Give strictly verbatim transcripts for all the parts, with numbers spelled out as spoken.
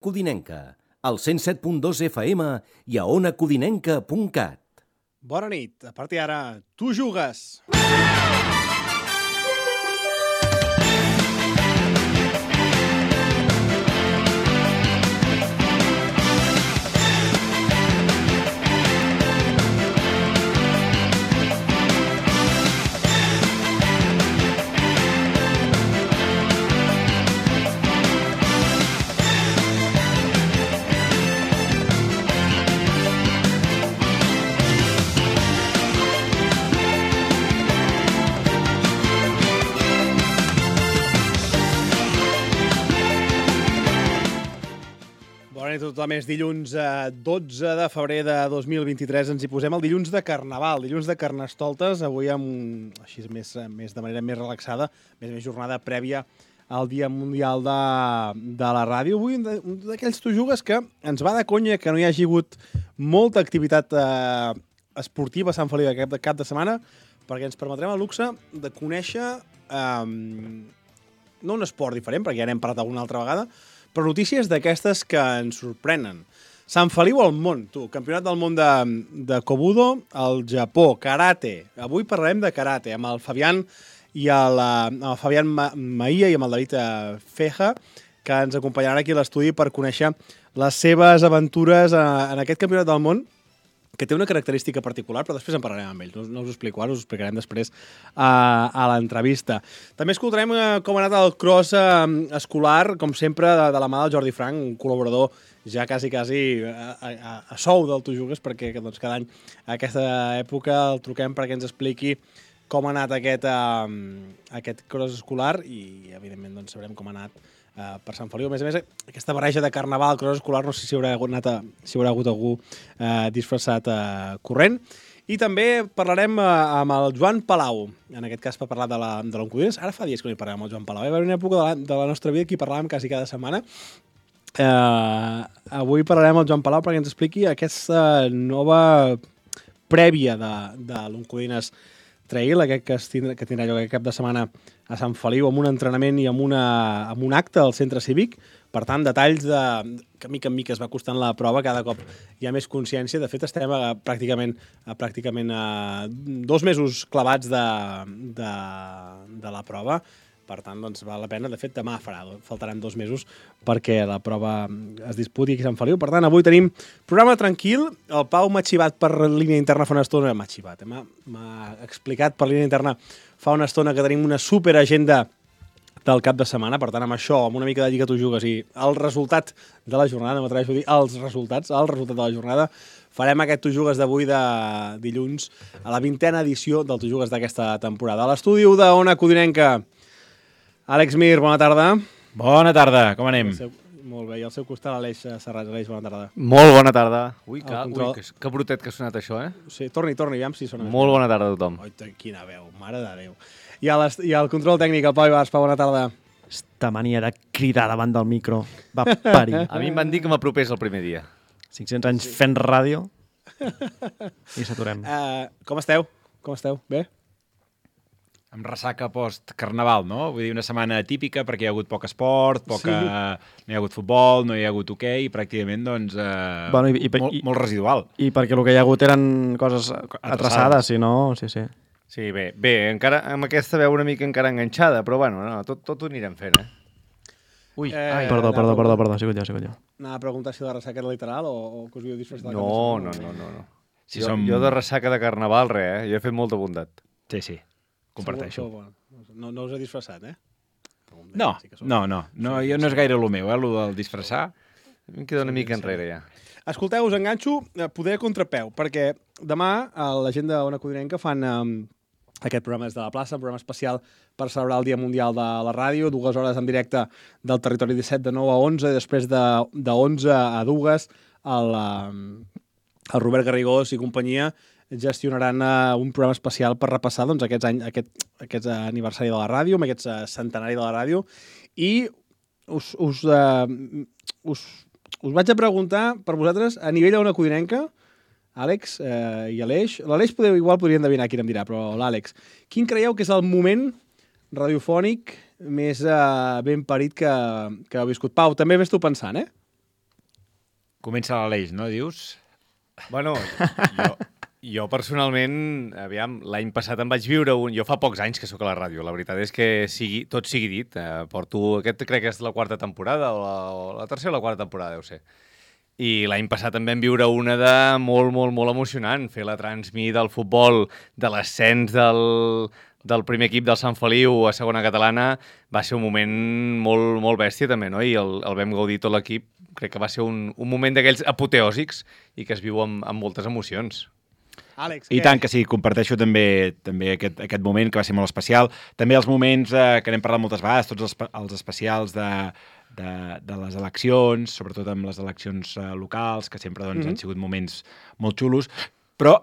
Codinenca, al cent set punt dos F M i a ona codinenca punt cat. Bona nit. A partir d'ara, tu jugues. Bona nit a tothom. És dilluns dotze de febrer de dos mil vint-i-tres. Ens hi posem el dilluns de Carnaval, dilluns de Carnestoltes, avui amb, així més, més de manera més relaxada, més més jornada prèvia al Dia Mundial de, de la Ràdio. Avui un d'aquells tu jugues que ens va de conya que no hi hagi hagut molta activitat eh, esportiva a Sant Feliu aquest cap de setmana, perquè ens permetrem el luxe de conèixer eh, no un esport diferent, perquè ja n'hem parlat alguna altra vegada, però notícies d'aquestes que ens sorprenen. Sant Feliu al món, tu, campionat del món de, de Kobudo al Japó, karate. Avui parlarem de karate amb el Fabián i el, amb el Fabián Maia i amb el David Feja, que ens acompanyaran aquí a l'estudi per conèixer les seves aventures en aquest campionat del món, que té una característica particular, però després en parlarem amb ells. No, no us ho explico ara, us ho explicarem després a, a l'entrevista. També escoltarem com ha anat el cross eh, escolar, com sempre, de, de la mà del Jordi Frank, un col·laborador ja quasi, quasi a, a, a sou del Tu Jugues, perquè doncs, cada any a aquesta època el truquem perquè ens expliqui com ha anat aquest, eh, aquest cross escolar i, evidentment, doncs, sabrem com ha anat Uh, per Sant Feliu. A més a més, aquesta barreja de carnaval, cross escolar, no sé si haurà, anat a, si haurà hagut algú uh, disfressat uh, corrent. I també parlarem uh, amb el Joan Palau, en aquest cas per parlar de l'Oncodines. Ara fa dies que no hi parlem amb el Joan Palau. Hi va haver una època de la, de la nostra vida que hi parlàvem quasi cada setmana. Uh, avui parlarem amb el Joan Palau perquè ens expliqui aquesta nova prèvia de, de l'Oncodines Trail, aquest que, tindrà, que tindrà lloc aquest cap de setmana a Sant Feliu, amb un entrenament i amb, una, amb un acte al centre cívic. Per tant, detalls de, que mica en mica es va costant la prova, cada cop hi ha més consciència. De fet, estem a, pràcticament, a, pràcticament a dos mesos clavats de, de, de la prova. Per tant, doncs, val la pena. De fet, demà farà, faltaran dos mesos perquè la prova es disputi aquí a Sant Feliu. Per tant, avui tenim programa tranquil. El Pau m'ha xivat per línia interna fa una estona. M'ha xivat, eh? m'ha explicat per línia interna fa una estona que tenim una superagenda del cap de setmana. Per tant, amb això, amb una mica de Lliga Tu Jugues i el resultat de la jornada, m'atreveixo a dir els resultats, el resultat de la jornada, farem aquest Tu Jugues d'avui de dilluns a la vintena edició del Tu Jugues d'aquesta temporada. A l'estudi d'Ona Codinenca, Àlex Mir, bona tarda. Bona tarda, com anem? Seu, molt bé, i al seu costat l'Aleix Serrat. Aleix, bona tarda. Molt bona tarda. Ui, que, control... ui que, que brutet que ha sonat això, eh? Sí, torni, torni, aviam si sona. Molt bona tarda a tothom. Oi, quina veu, mare de Déu. I, a I al control tècnic, el Pau Ibars, Pau, bona tarda. Esta mania de cridar davant del micro va parir. A mi em van dir que m'apropés el primer dia. cinc-cents anys fent ràdio i s'aturem. Uh, com esteu? Com esteu? Bé? Amb ressaca post-carnaval, no? Vull dir, una setmana típica perquè hi ha hagut poc esport, poca... sí. no hi ha hagut futbol, no hi ha hagut hoquei, i pràcticament, doncs, eh... bueno, i, i, molt, i, molt residual. I perquè el que hi ha hagut eren coses atrasades, si no... Sí, sí. Sí, bé, bé, encara amb aquesta veu una mica encara enganxada, però bueno, no, tot, tot ho anirem fent, eh? Ui, eh, ai, perdó, perdó, perdó, perdó, ha sigut jo, ha sigut jo. Anava a preguntar si la ressaca era literal o, o que us havíeu disfressat. No, no, no, no, no. Si jo, som... jo de ressaca de carnaval, res, eh? Jo he fet molta bondat. Sí, sí. Comparteixo. No, no us he disfressat, eh? No, no, no, no, jo no és gaire el meu, eh, el del disfressar. Em queda una mica enrere, ja. Escolteu, us enganxo poder a contrapeu, perquè demà a la gent d'Ona Codinenca fan um, aquest programa des de la plaça, un programa especial per celebrar el Dia Mundial de la Ràdio, dues hores en directe del Territori disset de nou a onze, i després de, de onze a dues el, um, el Robert Garrigós i companyia gestionaran uh, un programa especial per repassar doncs, aquests anys, aquest, aquest uh, aniversari de la ràdio, amb aquest uh, centenari de la ràdio, i us, us, uh, us, us vaig a preguntar per vosaltres, a nivell d'Ona Codinenca, Àlex uh, i Aleix, l'Aleix podeu, igual podria endevinar qui em dirà, però l'Àlex, quin creieu que és el moment radiofònic més uh, ben parit que, que heu viscut? Pau, també ves tu pensant, eh? Comença l'Aleix, no, dius? Bueno, jo, jo personalment, aviam, l'any passat em vaig viure un... Jo fa pocs anys que sóc a la ràdio, la veritat és que sigui, tot sigui dit. Eh, porto, aquest crec que és la quarta temporada, o la, o la tercera o la quarta temporada, deu ser. I l'any passat em vam viure una de molt, molt, molt emocionant. Fer la transmi del futbol, de l'ascens del, del primer equip del Sant Feliu a segona catalana, va ser un moment molt, molt bèstia també, no? I el, el vam gaudir tot l'equip. Crec que va ser un, un moment d'aquells apoteòsics i que es viu amb, amb moltes emocions. Àlex, I què? tant que sí, comparteixo també també aquest, aquest moment que va ser molt especial. També els moments eh, que n'hem parlat moltes vegades, tots els, els especials de, de, de les eleccions, sobretot amb les eleccions eh, locals, que sempre doncs, mm-hmm. han sigut moments molt xulos. Però,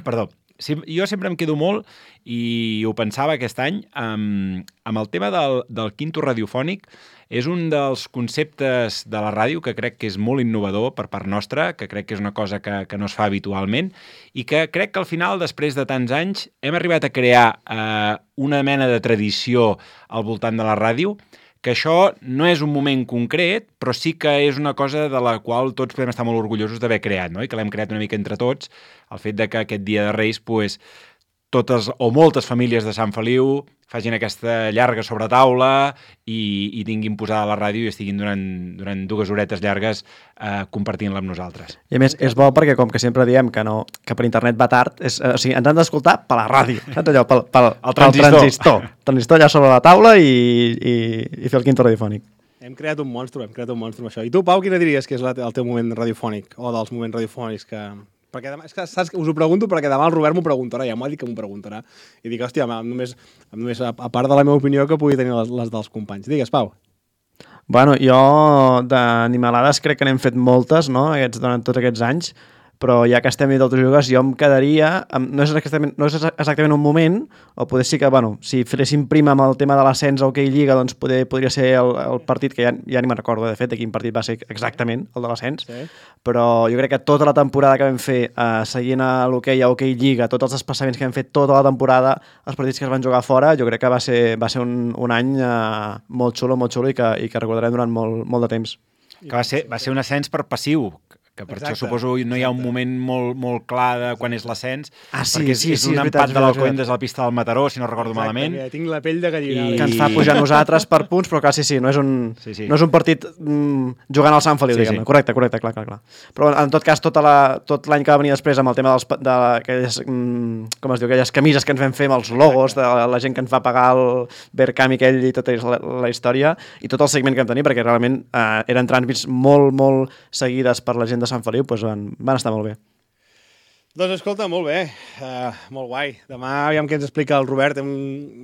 perdó, sí, jo sempre em quedo molt, i ho pensava aquest any, amb, amb el tema del, del quinto radiofònic. És un dels conceptes de la ràdio que crec que és molt innovador per part nostra, que crec que és una cosa que, que no es fa habitualment, i que crec que al final, després de tants anys, hem arribat a crear eh, una mena de tradició al voltant de la ràdio, que això no és un moment concret, però sí que és una cosa de la qual tots podem estar molt orgullosos d'haver creat, no? I que l'hem creat una mica entre tots, el fet de que aquest dia de Reis, pues, totes o moltes famílies de Sant Feliu facin aquesta llarga sobretaula i, i tinguin posada la ràdio i estiguin durant, durant dues horetes llargues eh, compartint-la amb nosaltres. I a més, és bo perquè, com que sempre diem que, no, que per internet va tard, és, o sigui, ens han d'escoltar per la ràdio, saps allò? Pel, pel, el transistor. Pel transistor. El transistor allà sobre la taula i, i, i fer el quinto radiofònic. Hem creat un monstru, hem creat un monstru amb això. I tu, Pau, quina diries que és la, el teu moment radiofònic, o dels moments radiofònics que... Perquè demà, és que saps, us ho pregunto perquè demà el Robert m'ho preguntarà, ja m'ho ha dit que m'ho preguntarà. I dic, hòstia, només, només a, a part de la meva opinió que pugui tenir les, les dels companys. Digues, Pau. Bueno, jo d'animalades crec que n'hem fet moltes, no?, aquests, durant tots aquests anys, però ja que estem dit d'altres jugues, jo em quedaria... Amb, no, és exactament, no és exactament un moment, o poder sí que, bueno, si féssim prima amb el tema de l'ascens a Hockey Lliga, doncs poder, podria ser el, el partit, que ja, ja ni me'n recordo, de fet, de quin partit va ser exactament, el de l'ascens, sí. Però jo crec que tota la temporada que vam fer, eh, seguint a l'hoquei a Hockey Lliga, tots els desplaçaments que vam fer tota la temporada, els partits que es van jugar fora, jo crec que va ser, va ser un, un any eh, molt xulo, molt xulo i que, i que recordarem durant molt, molt de temps. Que va ser, va ser un ascens per passiu, que per exacte, això suposo no hi ha un moment molt, molt clar de quan és l'ascens, ah, sí, perquè és, sí, és sí, un és empat veritat, de l'Alcobendas des de la pista del Mataró, si no recordo exacte, malament. Que tinc la pell de gallina. I... Que ens fa pujar nosaltres per punts, però clar, sí, sí, no és un, sí, sí. No és un partit mm, jugant al Sant Feliu, sí, diguem-ne. Sí. Correcte, correcte, clar, clar, clar. Però en tot cas, tota la, tot l'any que va venir després amb el tema dels, de aquelles, mm, com es diu, aquelles camises que ens vam fer amb els logos, de la, la gent que ens va pagar el Berkami aquell i tota la, la història, i tot el segment que vam tenir, perquè realment eh, eren transmits molt, molt seguides per la gent de Sant Feliu, doncs van, van estar molt bé. Doncs escolta, molt bé, uh, molt guai. Demà aviam què ens explica el Robert. Hem...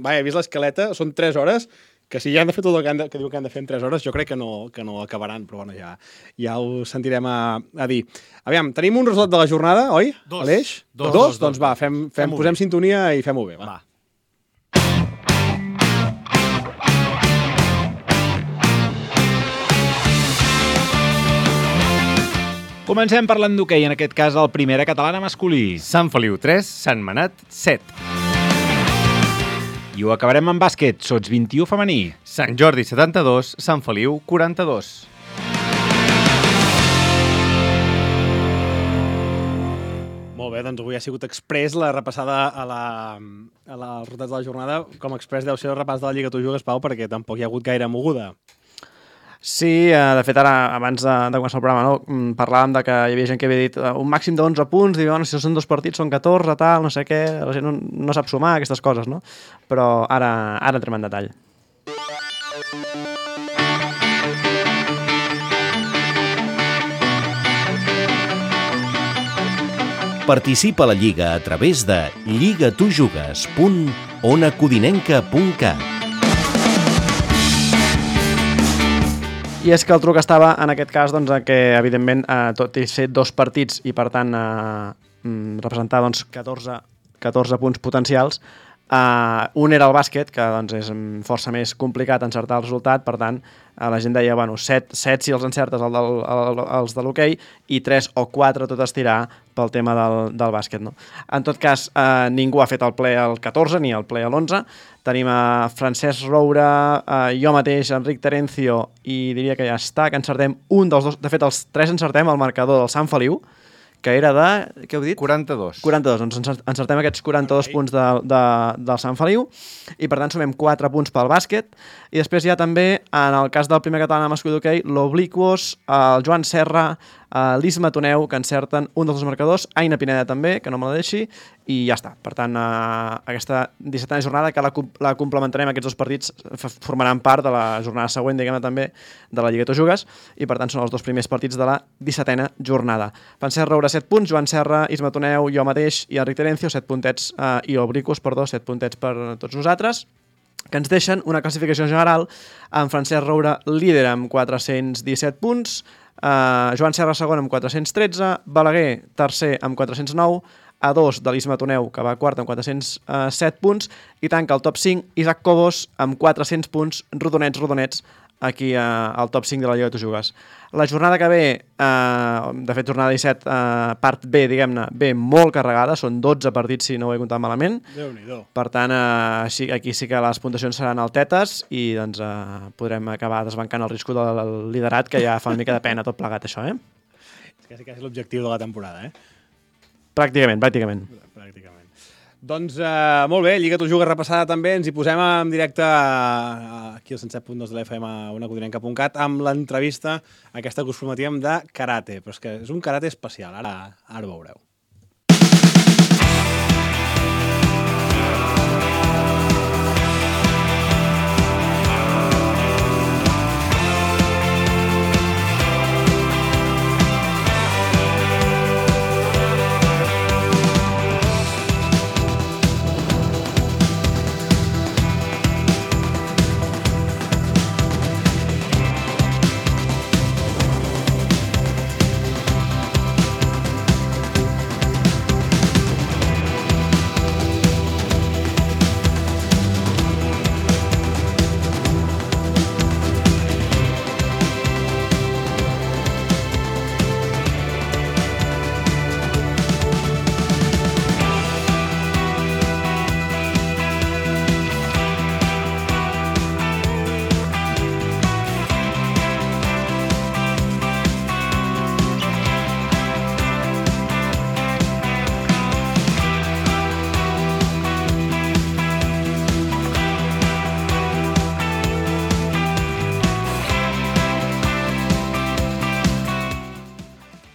Vaja, he vist l'escaleta, són tres hores, que si ja han de fer tot el que, han de, que diu que han de fer en tres hores, jo crec que no, que no acabaran, però bueno, ja, ja ho sentirem a, a dir. Aviam, tenim un resol de la jornada, oi? Dos. Aleix? Dos, dos? dos, Doncs dos. va, fem, fem, fem posem bé. Sintonia i fem-ho bé, va. va. Comencem parlant d'hoquei, en aquest cas el Primera Catalana masculí. Sant Feliu tres, Sant Manat set. I ho acabarem amb bàsquet, Sots vint-i-u femení. Sant Jordi setanta-dos, Sant Feliu quaranta-dos. Molt bé, doncs avui ha sigut express la repassada a la, a la, als resultats de la jornada. Com express deu ser el repàs de la Lliga Tu Jugues, Pau, perquè tampoc hi ha hagut gaire moguda. Sí, de fet ara, abans de, de començar el programa, no, parlàvem de que hi havia gent que havia dit uh, un màxim d'onze punts, i bueno, si són dos partits són catorze, tal, no sé què, la gent no, no sap sumar aquestes coses, no? Però ara, ara entrem en detall. Participa a la Lliga a través de lligatujugues punt onacodinenca punt cat. I és que el truc estava, en aquest cas, doncs, que, evidentment, eh, tot i ser dos partits i, per tant, eh, representar doncs, catorze, catorze punts potencials, Uh, un era el bàsquet, que doncs, és força més complicat encertar el resultat, per tant, uh, la gent deia, bueno, set, set si els encertes el del, el, els de l'hoquei i tres o quatre tot estirar pel tema del, del bàsquet. No? En tot cas, uh, ningú ha fet el ple al catorze ni el ple a l'onze. Tenim a Francesc Roure, uh, jo mateix, Enric Terencio, i diria que ja està, que encertem un dels dos. De fet, els tres encertem el marcador del Sant Feliu, que era de... Què heu dit? quaranta-dos. quaranta-dos. Doncs encertem aquests quaranta-dos okay. punts de, de, del Sant Feliu i, per tant, sumem quatre punts pel bàsquet. I després hi ha també, en el cas del primer català masculí d'hoquei, l'Obliquos, el Joan Serra, l'Isma Toneu, que encerten un dels dos marcadors, Aina Pineda també, que no me la deixi, i ja està. Per tant, eh, aquesta dissetena jornada, que la, la complementarem, aquests dos partits formaran part de la jornada següent, diguem-ne també, de la Lliga Tu Jugues, i per tant són els dos primers partits de la dissetena jornada. Francesc Roure, set punts, Joan Serra, Isma Toneu, jo mateix i Enric Terencio, set puntets, eh, i Obliquos, perdó, set puntets per tots nosaltres, que ens deixen una classificació general amb Francesc Roure líder amb quatre-cents disset punts, Uh, Joan Serra segon amb quatre-cents tretze, Balaguer tercer amb quatre-cents nou, a dos de l'Isma Toneu, que va quart amb quatre-cents set punts, i tanca el top cinc Isaac Cobos amb quatre-cents punts, rodonets, rodonets, aquí uh, al top cinc de la Lliga Tu Jugues. La jornada que ve, uh, de fet jornada disset, uh, part B, diguem-ne, ve molt carregada, són dotze partits si no ho he comptat malament. Déu-n'hi-do. Per tant, uh, sí, aquí sí que les puntuacions seran altetes i doncs, uh, podrem acabar desbancant el risc del liderat, que ja fa una mica de pena tot plegat, això, eh? És quasi, quasi l'objectiu de la temporada, eh? Pràcticament, pràcticament. Pràcticament. Doncs uh, molt bé, Lliga Tu Jugues repassada també, ens hi posem en directe uh, aquí al cent set punt dos de l'F M a una codinenca punt cat amb l'entrevista aquesta que us prometíem de karate, però és que és un karate especial, ara, ara ho veureu.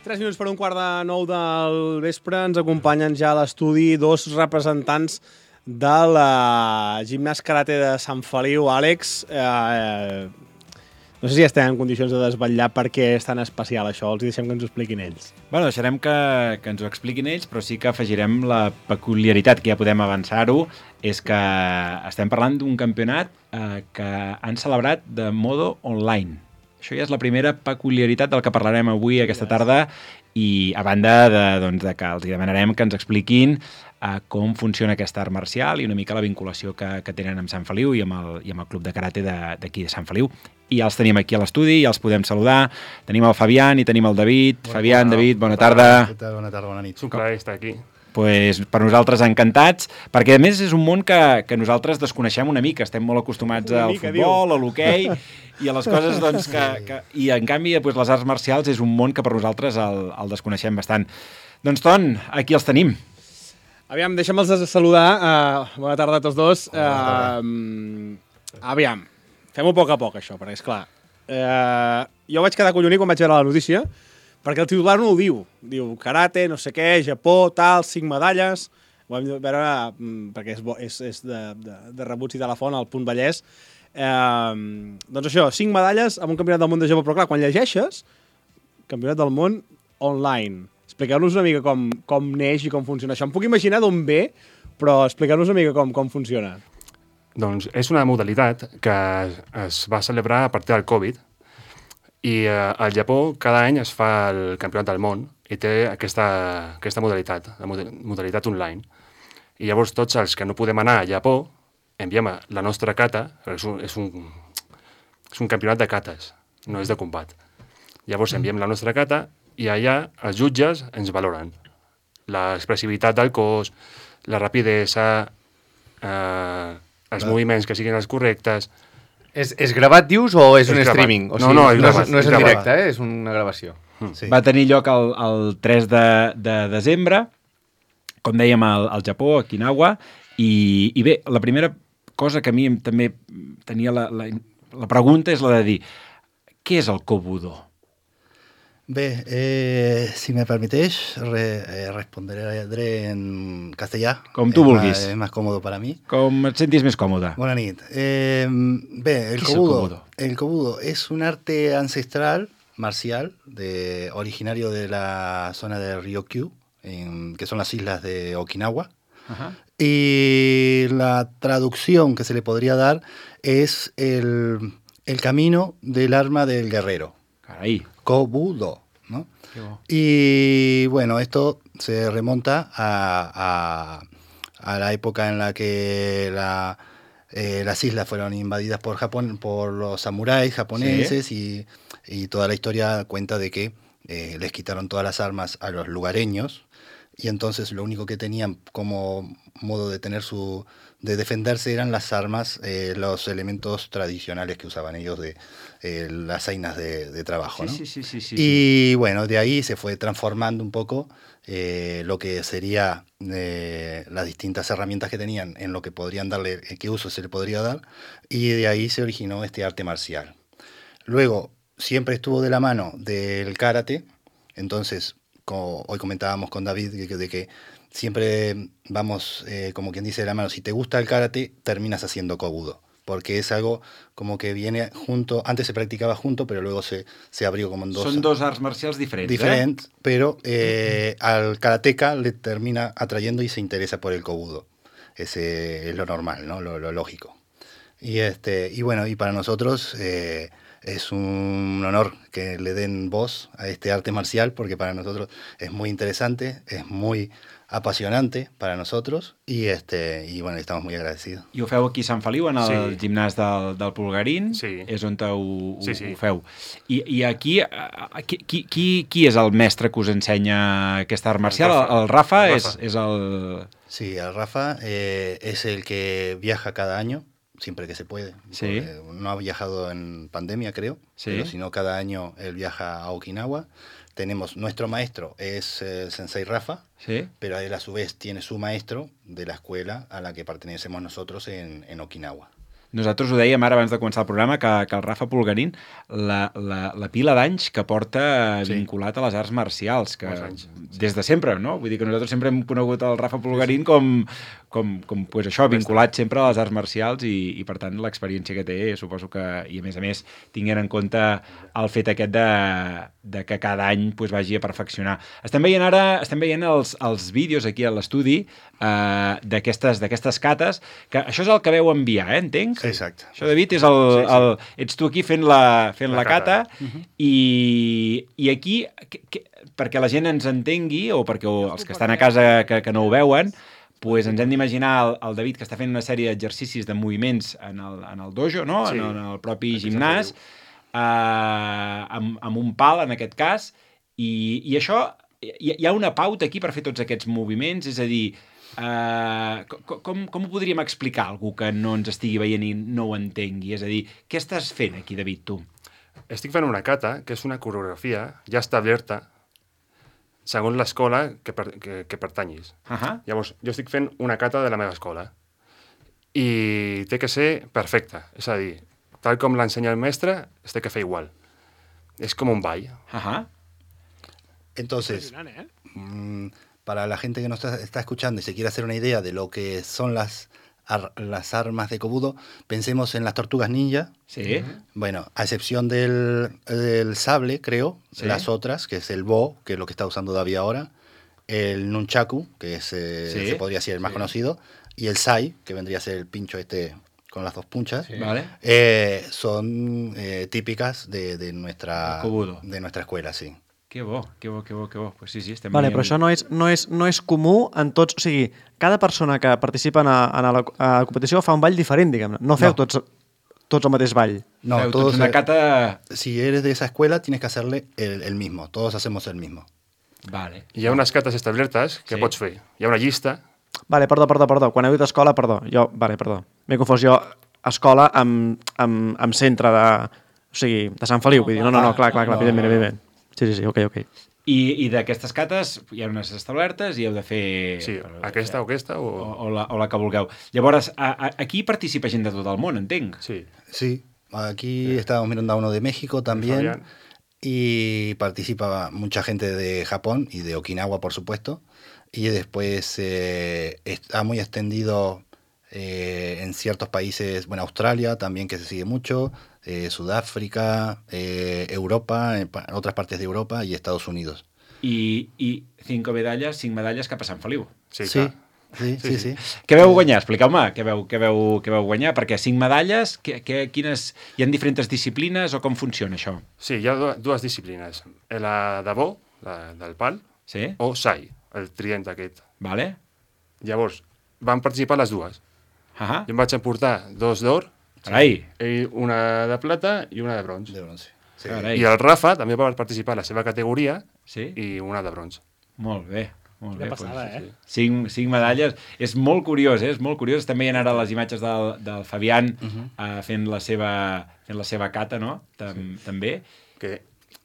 tres minuts per un quart de nou del vespre. Ens acompanyen ja a l'estudi dos representants de la gimnàs karate de Sant Feliu. Àlex, eh, no sé si estem en condicions de desvetllar per què és tan especial això. Els deixem que ens ho expliquin ells. Bueno, deixarem que, que ens ho expliquin ells, però sí que afegirem la peculiaritat, que ja podem avançar-ho, és que estem parlant d'un campionat eh, que han celebrat de modo online. Això ja és la primera peculiaritat del que parlarem avui, aquesta tarda, i a banda de, doncs, de que els demanarem que ens expliquin uh, com funciona aquest art marcial i una mica la vinculació que, que tenen amb Sant Feliu i amb el, i amb el club de karate d'aquí de, de Sant Feliu. I ja els tenim aquí a l'estudi, ja els podem saludar. Tenim el Fabián i tenim el David. Bona, Fabián, bona, David, bona, bona tarda. tarda. Bona tarda, bona nit. És un plaer estar aquí. Pues, per nosaltres encantats, perquè a més és un món que, que nosaltres desconeixem una mica, estem molt acostumats al mica, futbol, diu. A l'hoquei i a les coses doncs, que, que... I en canvi pues, les arts marcials és un món que per nosaltres el, el desconeixem bastant. Doncs Ton, aquí els tenim. Aviam, deixa'm-los saludar. Uh, bona tarda a tots dos. Uh, aviam, fem-ho a poc a poc això, perquè esclar, uh, jo vaig quedar collonit quan vaig veure la notícia, perquè el titular no ho diu. Diu karate, no sé què, Japó, tal, cinc medalles. Ho vam veure perquè és, bo, és, és de, de, de rebuts i telefon al Punt Vallès. Eh, doncs això, cinc medalles amb un campionat del món de Japó. Però clar, quan llegeixes, campionat del món online. Expliqueu-nos una mica com, com neix i com funciona això. Em puc imaginar d'on ve, però expliqueu-nos una mica com, com funciona. Doncs és una modalitat que es va celebrar a partir del Covid. I eh, al Japó cada any es fa el campionat del món i té aquesta, aquesta modalitat, la modalitat online. I llavors tots els que no podem anar a Japó enviem la nostra kata, és un, és un, és un campionat de kates, no és de combat. Llavors enviem la nostra kata i allà els jutges ens valoren. L'expressivitat del cos, la rapidesa, eh, els no. moviments que siguin els correctes. És, és gravat, dius, o és, és un gravat. Streaming? O sigui, no, no, és no, gravat. És, no és, és en gravat. directe, eh? És una gravació. Sí. Va tenir lloc el, el tres de, de desembre, com dèiem, al, al Japó, a Okinawa, i, i bé, la primera cosa que a mi també tenia la, la, la pregunta és la de dir, què és el Kobudo? Bé, eh, si me permiteix, re, eh, responderé en castellà. Com tu és vulguis. Más, és més còmode per a mi. Com et sentis més còmode. Bona nit. Eh, bé, el ¿Qué kobudo, es el kobudo? el kobudo es un arte ancestral marcial de, originario de la zona de Ryukyu, en, que son las islas de Okinawa. Ajá. Y la traducción que se le podría dar es el, el camino del arma del guerrero. Carai. Kobudo, ¿no? Y bueno, esto se remonta a, a, a la época en la que la, eh, las islas fueron invadidas por Japón, por los samuráis japoneses, ¿sí? y, y toda la historia cuenta de que eh, les quitaron todas las armas a los lugareños y entonces lo único que tenían como modo de tener su de defenderse eran las armas, eh, los elementos tradicionales que usaban ellos de eh, las zainas de, de trabajo, Sí, ¿no? sí, sí, sí, sí, Y bueno, de ahí se fue transformando un poco eh, lo que sería eh, las distintas herramientas que tenían en lo que podrían darle, eh, qué uso se le podría dar, y de ahí se originó este arte marcial. Luego, siempre estuvo de la mano del karate, entonces, como hoy comentábamos con David, de que, de que siempre vamos, eh, como quien dice, de la mano. Si te gusta el karate, terminas haciendo kobudo, porque es algo como que viene junto, antes se practicaba junto, pero luego se, se abrió como en dos. Són dos arts marcials diferents, Diferentes, eh? pero eh, al karateca le termina atrayendo y se interesa por el kobudo. Ese es lo normal, ¿no? Lo, lo lógico. Y, este, y bueno, y para nosotros eh, es un honor que le den voz a este arte marcial, porque para nosotros es muy interesante, es muy apasionante para nosotros y este y bueno, estamos muy agradecidos. I ho feu aquí a Sant Feliu, en el Sí. gimnàs del, del Pulgarín, Sí. és on ho, ho, Sí, sí. ho feu. I, i aquí, eh, qui, qui, qui, qui és el mestre que us ensenya aquesta art marcial? El, Rafa. el Rafa, El és, Rafa. és el... Sí, el Rafa eh, es el que viaja cada año, siempre que se puede. Sí. No ha viajado en pandemia, creo, Sí. pero sino cada año él viaja a Okinawa. Tenemos, nuestro maestro es el Sensei Rafa, Sí? pero él a su vez tiene su maestro de la escuela a la que pertenecemos nosotros en, en Okinawa. Nosaltres ho dèiem ara abans de començar el programa, que, que el Rafa Pulgarín, la, la, la pila d'anys que porta Sí. vinculat a les arts marcials, que Molts anys, des de sempre, no? Vull dir que nosaltres sempre hem conegut el Rafa Pulgarín com, com, com pues això, vinculat sempre a les arts marcials i, i per tant, l'experiència que té, suposo que, i a més a més, tinguent en compte el fet aquest de, de que cada any pues, vagi a perfeccionar. Estem veient ara, estem veient els, els vídeos aquí a l'estudi eh, d'aquestes d'aquestes cates, que això és el que veu enviar, eh, entenc? Exacte. Això, David, és el, Sí, sí. el... Ets tu aquí fent la, fent la, La cata, cata. uh -huh. i, i aquí, que, que, perquè la gent ens entengui, o perquè o, els que estan a casa que, que no ho veuen, pues ens hem d'imaginar el, el David que està fent una sèrie d'exercicis de moviments en el, en el dojo, no? Sí. en, el, en el propi Aquí gimnàs, eh, amb, amb un pal, en aquest cas, i, i això, hi, hi ha una pauta aquí per fer tots aquests moviments, és a dir, Uh, com, com, com ho podríem explicar a algú que no ens estigui veient i no ho entengui? És a dir, què estàs fent aquí, David, tu? Estic fent una kata, que és una coreografia ja establerta segons l'escola que, per, que, que pertanyis. Uh -huh. Llavors, jo estic fent una kata de la meva escola i té que ser perfecta. És a dir, tal com l'ensenya el mestre, es té que fer igual. És com un ball. Uh -huh. Entonces, Impressionant, eh? mm, para la gente que nos está, está escuchando y se quiere hacer una idea de lo que son las, ar- las armas de Kobudo, pensemos en las tortugas ninja. Sí. Bueno, a excepción del, del sable, creo, Sí. las otras, que es el bo, que es lo que está usando David ahora, el nunchaku, que es, eh, Sí. se podría ser el más Sí. conocido, y el sai, que vendría a ser el pincho este con las dos punchas, Sí. Vale. eh, son eh, típicas de, de, nuestra, El Kobudo. de nuestra escuela, sí. Que bo, que bo, que bo, que bo. Pues sí, sí, estem Vale, veient- però això no és, no, és, no és comú en tots... O sigui, cada persona que participa en, a, en la, a la competició fa un ball diferent, diguem-ne. No feu No. tots, tots el mateix ball. No, Feu todos, tots una eh, cata... si eres de esa escuela, tienes que hacerle el, el mismo. Todos hacemos el mismo. Vale. Hi ha unes cates establertes que Sí. pots fer. Hi ha una llista. Vale, perdó, perdó, perdó. Quan heu dit escola, perdó. Jo, vale, perdó. M'he confós jo escola amb, amb, amb centre de... O sigui, de Sant Feliu. Vull dir, no, no, no, clar, clar, clar, No, evidentment, no, no. evidentment. Sí, sí, sí, ok, ok. I, i d'aquestes cates hi ha unes establertes i heu de fer... Sí, aquesta o aquesta O, o... o, la, o la que vulgueu. Llavors, a, a, aquí participa gent de tot el món, entenc. Sí. Sí, aquí estábamos mirando a uno de México también. Fabián. Y participa mucha gente de Japón y de Okinawa, por supuesto. Y después eh, está muy extendido eh, en ciertos países, bueno, Australia también, que se sigue mucho, eh, Sudáfrica, eh, Europa, en pa- otras partes de Europa y Estados Unidos. I, i cinc medalles, cinc medalles cap a Sant Feliu. Sí, sí, clar. sí, sí, sí. Què veu guanyar? Expliqueu-me què veu, què, veu, què veu guanyar, perquè cinc medalles, que, que, quines, hi ha diferents disciplines o com funciona això? Sí, hi ha du- dues disciplines. La de bo, la del pal, Sí? o sai, el trient aquest. Vale? Llavors, van participar les dues. Ahà. Jo em vaig emportar dos d'or, Carai. i una de plata i una de bronze. De bronce. Sí. Carai. I el Rafa també va participar a la seva categoria Sí? i una de bronze. Molt bé. Molt Quina bé, passada, doncs, eh? Cinc, cinc medalles. És molt curiós, eh? És molt curiós. Estem veient ara les imatges del, del Fabián uh -huh. uh, fent, la seva, fent la seva cata, no? Tam, sí. També. Que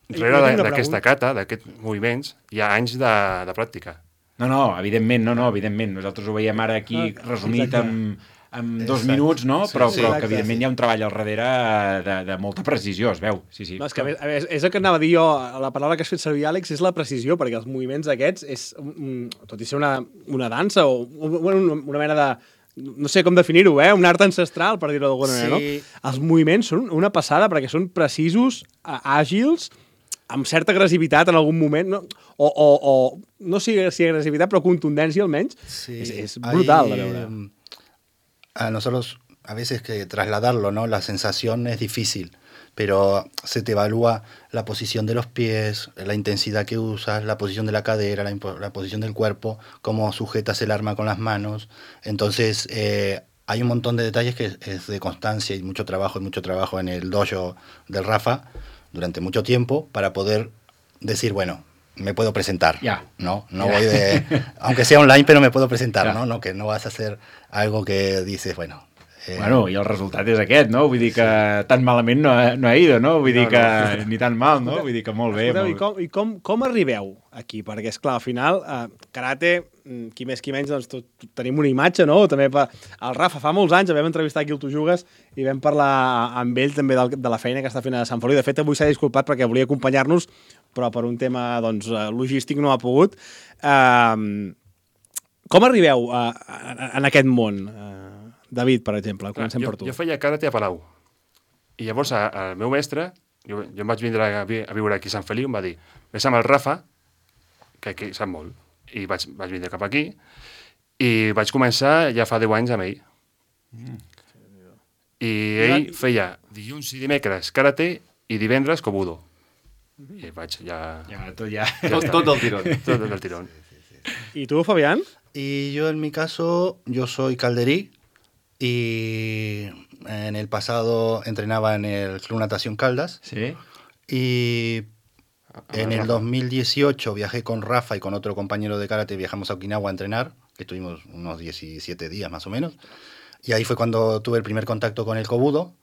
I rere jo tinc de- una d'aquesta pregunta. cata, d'aquests moviments, hi ha anys de, de pràctica. No, no, evidentment, no, no, evidentment. Nosaltres ho veiem ara aquí Ah, resumit exacte. en, en dos Exacte. minuts, no? Sí, Però, sí, però exacte, que evidentment sí. hi ha un treball al darrere de, de molta precisió, es veu. Sí, sí. No, és que a més, a més, és el que anava a dir jo, la paraula que has fet servir, Àlex, és la precisió, perquè els moviments aquests, és, mm, tot i ser una, una dansa o bueno, una, una mena de... No sé com definir-ho, eh? Un art ancestral, per dir-ho d'alguna manera, Sí. no? Els moviments són una passada perquè són precisos, a- àgils, amb certa agressivitat en algun moment, no? O, o, o no sé si agressivitat, però contundència almenys. Sí, És, és brutal de hay, veure. mm, A nosotros a veces que trasladarlo, ¿no? La sensación es difícil, pero se te evalúa la posición de los pies, la intensidad que usas, la posición de la cadera, la, impo- la posición del cuerpo, cómo sujetas el arma con las manos. Entonces, eh, hay un montón de detalles que es, es de constancia y mucho trabajo, y mucho trabajo en el dojo del Rafa durante mucho tiempo para poder decir, bueno, me puedo presentar, Ya. ¿no? No Ya. voy de... Aunque sea online, pero me puedo presentar, Ya. ¿no? No, que no vas a hacer algo que dices, bueno... eh, Bueno, i el resultat és aquest, no? Vull dir que tan malament no ha, no ha ido, no? Vull dir No, que no. ni tan mal, no? Vull dir que molt bé. Escolteu, i Molt... com, i com, com arribeu aquí? Perquè, és clar al final, eh, karate, mm, qui més qui menys, doncs tot, tot, tenim una imatge, no? També per... El Rafa, fa molts anys, el vam entrevistar aquí al Tu Jugues i vam parlar amb ell també del, de la feina que està fent a Sant Feliu. De fet, avui s'ha disculpat perquè volia acompanyar-nos, però per un tema doncs, eh, logístic no ha pogut. Eh, com arribeu a, a, en aquest món? Eh, David, per exemple, comencem jo, per tu. jo feia karate a Palau. I llavors a- el meu mestre, jo, jo em vaig vindre a, vi- a viure aquí a Sant Feliu, em va dir, vés amb el Rafa, que, que sap molt. I vaig, vaig vindre cap aquí i vaig començar ja fa deu anys amb ell. Mm. I ell feia dilluns i dimecres karate i divendres kobudo. I vaig ja... Ja, tot ja... Tot, tot del tirón. Tot del tirón. I tu, Fabián? Y yo en mi caso, yo soy calderí y en el pasado entrenaba en el Club Natación Caldas Sí? y en el Rafa. dos mil dieciocho viajé con Rafa y con otro compañero de karate, viajamos a Okinawa a entrenar, que estuvimos unos diecisiete días más o menos, y ahí fue cuando tuve el primer contacto con el kobudo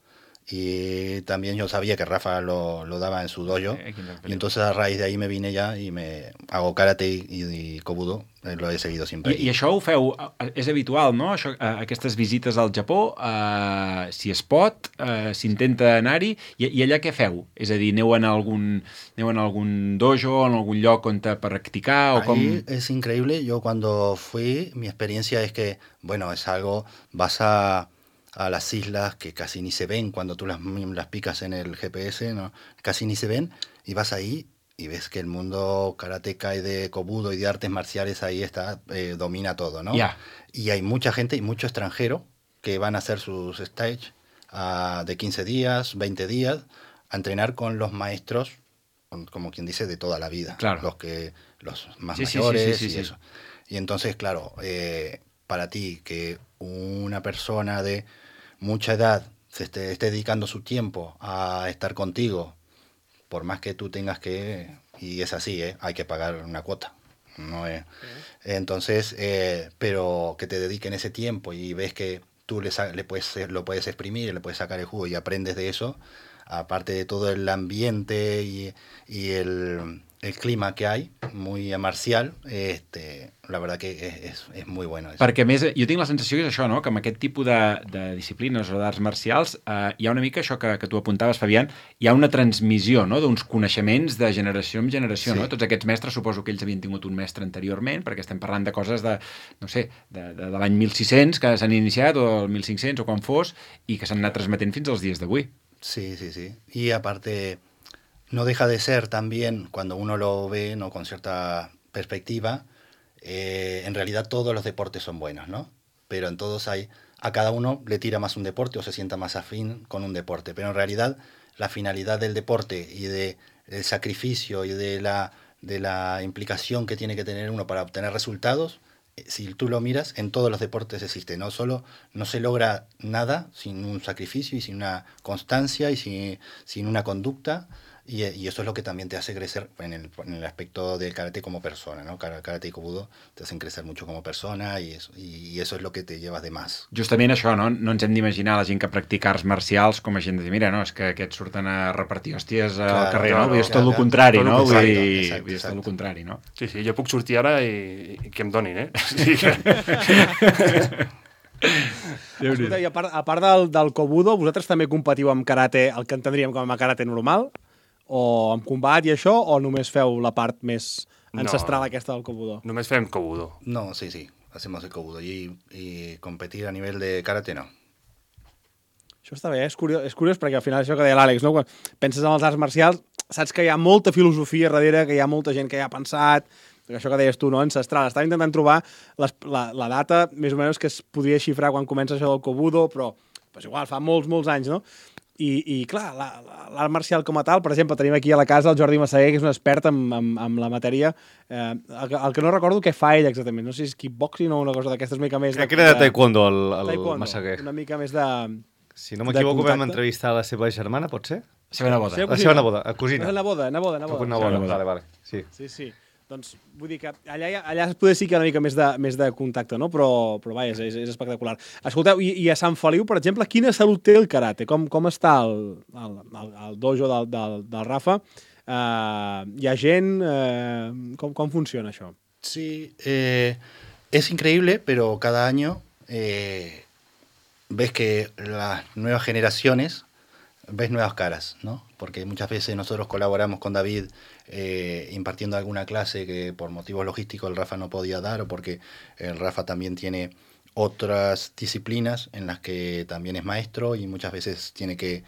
y también yo sabía que Rafa lo, lo daba en su dojo Eh, aquí en el y entonces a raíz de ahí me vine ya y me hago karate y, y kobudo, eh, lo he seguido siempre. I, I això ho feu, eh, és habitual, no? Això, eh, aquestes visites al Japó, eh, si es pot, eh, s'intenta anar-hi, i, i allà què feu? És a dir, aneu en algun, aneu en algun dojo, en algun lloc on te practicar, o com... Ahí es increíble. Yo cuando fui, mi experiencia es que, bueno, es algo, vas a, a las islas que casi ni se ven cuando tú las, las picas en el G P S, ¿no? Casi ni se ven, y vas ahí y ves que el mundo karateca y de kobudo y de artes marciales ahí está, eh, domina todo, ¿no? Ya. Y hay mucha gente y mucho extranjero que van a hacer sus stage ah, de quince días, veinte días, a entrenar con los maestros como quien dice, de toda la vida. Claro. Los que los más Sí, sí, mayores sí, sí, sí, y sí. eso. Y entonces, claro, eh, para ti, que una persona de mucha edad se esté, esté dedicando su tiempo a estar contigo, por más que tú tengas que, y es así, ¿eh? Hay que pagar una cuota. No es, entonces, eh, pero que te dediquen ese tiempo y ves que tú le, sa- le puedes, lo puedes exprimir, le puedes sacar el jugo y aprendes de eso, aparte de todo el ambiente y, y el, el clima que hay, muy marcial, este, la verdad que es, és, és muy bueno. Eso. Perquè, a més, jo tinc la sensació que és això, no? Que amb aquest tipus de, de disciplines o d'arts marcials eh, hi ha una mica això que, que tu apuntaves, Fabián, hi ha una transmissió, no?, d'uns coneixements de generació en generació, Sí. no? Tots aquests mestres, suposo que ells havien tingut un mestre anteriorment, perquè estem parlant de coses de, no sé, de, de, de l'any mil sis-cents que s'han iniciat, o el mil cinc-cents, o quan fos, i que s'han anat transmetent fins als dies d'avui. Sí, sí, sí. Y aparte, no deja de ser también, cuando uno lo ve, ¿no?, con cierta perspectiva, eh, en realidad todos los deportes son buenos, ¿no? Pero en todos hay, a cada uno le tira más un deporte o se sienta más afín con un deporte. Pero en realidad la finalidad del deporte y de el sacrificio y de la, de la implicación que tiene que tener uno para obtener resultados, eh, si tú lo miras, en todos los deportes existe. No solo no se logra nada sin un sacrificio y sin una constancia y sin, sin una conducta. Y, y eso es lo que también te hace crecer en el, en el aspecto del karate como persona, ¿no? Karate y Kobudo te hacen crecer mucho como persona y eso, y, y eso es lo que te llevas de más. Justament això, no? No ens hem d'imaginar la gent que practica arts marcials com a gent de dir, mira, no, és que aquests surten a repartir hòsties al Claro, carrer, claro, no? Vull dir, és tot claro, el contrari, tot el no? Vull contrari. dir, Exacte, vull dir, és tot el exacte. contrari, no? Sí, sí, jo puc sortir ara i, i que em donin, eh? Sí que... Escolta, i a part, a part del, del Kobudo, vosaltres també competiu amb karate, el que entendríem com a karate normal, o amb combat i això, o només feu la part més ancestral No. aquesta del Kobudo? Només fem Kobudo. No, sí, sí, hacemos el Kobudo y, y competir a nivel de karate no. Això està bé, eh? és curiós, és curiós perquè al final això que deia l'Àlex, no? Quan penses en els arts marcials, saps que hi ha molta filosofia darrere, que hi ha molta gent que hi ha pensat, això que deies tu, no? Ancestral. Estava intentant trobar les, la, la data més o menys que es podria xifrar quan comença això del Kobudo, però pues igual, fa molts, molts anys, no? I, i clar, l'art marcial com a tal, per exemple, tenim aquí a la casa el Jordi Massaguer, que és un expert en, en, en la matèria. Eh, el, el que no recordo què fa ell exactament, no sé si és kickboxing o una cosa d'aquestes, una mica més... Crec que era de taekwondo, el, el taekwondo, Massaguer. una mica més de... Si no m'equivoco, de vam contacte. entrevistar la seva germana, pot ser? La seva neboda. Sí, La seva neboda, a cosina. És neboda, neboda, neboda. Una bona, vale, vale. Sí. Sí, sí. Doncs vull dir que allà, hi ha- allà poder sí que hi ha una mica més de, més de contacte, no? Però, però vaja, és, és espectacular. Escolteu, i, i a Sant Feliu, per exemple, quina salut té el karate? Com, com està el, el, el, el dojo del, del, del Rafa? Uh, hi ha gent? Uh, com, com funciona això? Sí, eh, es increíble, pero cada año eh, ves que las nuevas generaciones, ves nuevas caras, ¿no? Porque muchas veces nosotros colaboramos con David eh, impartiendo alguna clase que por motivos logísticos el Rafa no podía dar, o porque el Rafa también tiene otras disciplinas en las que también es maestro y muchas veces tiene que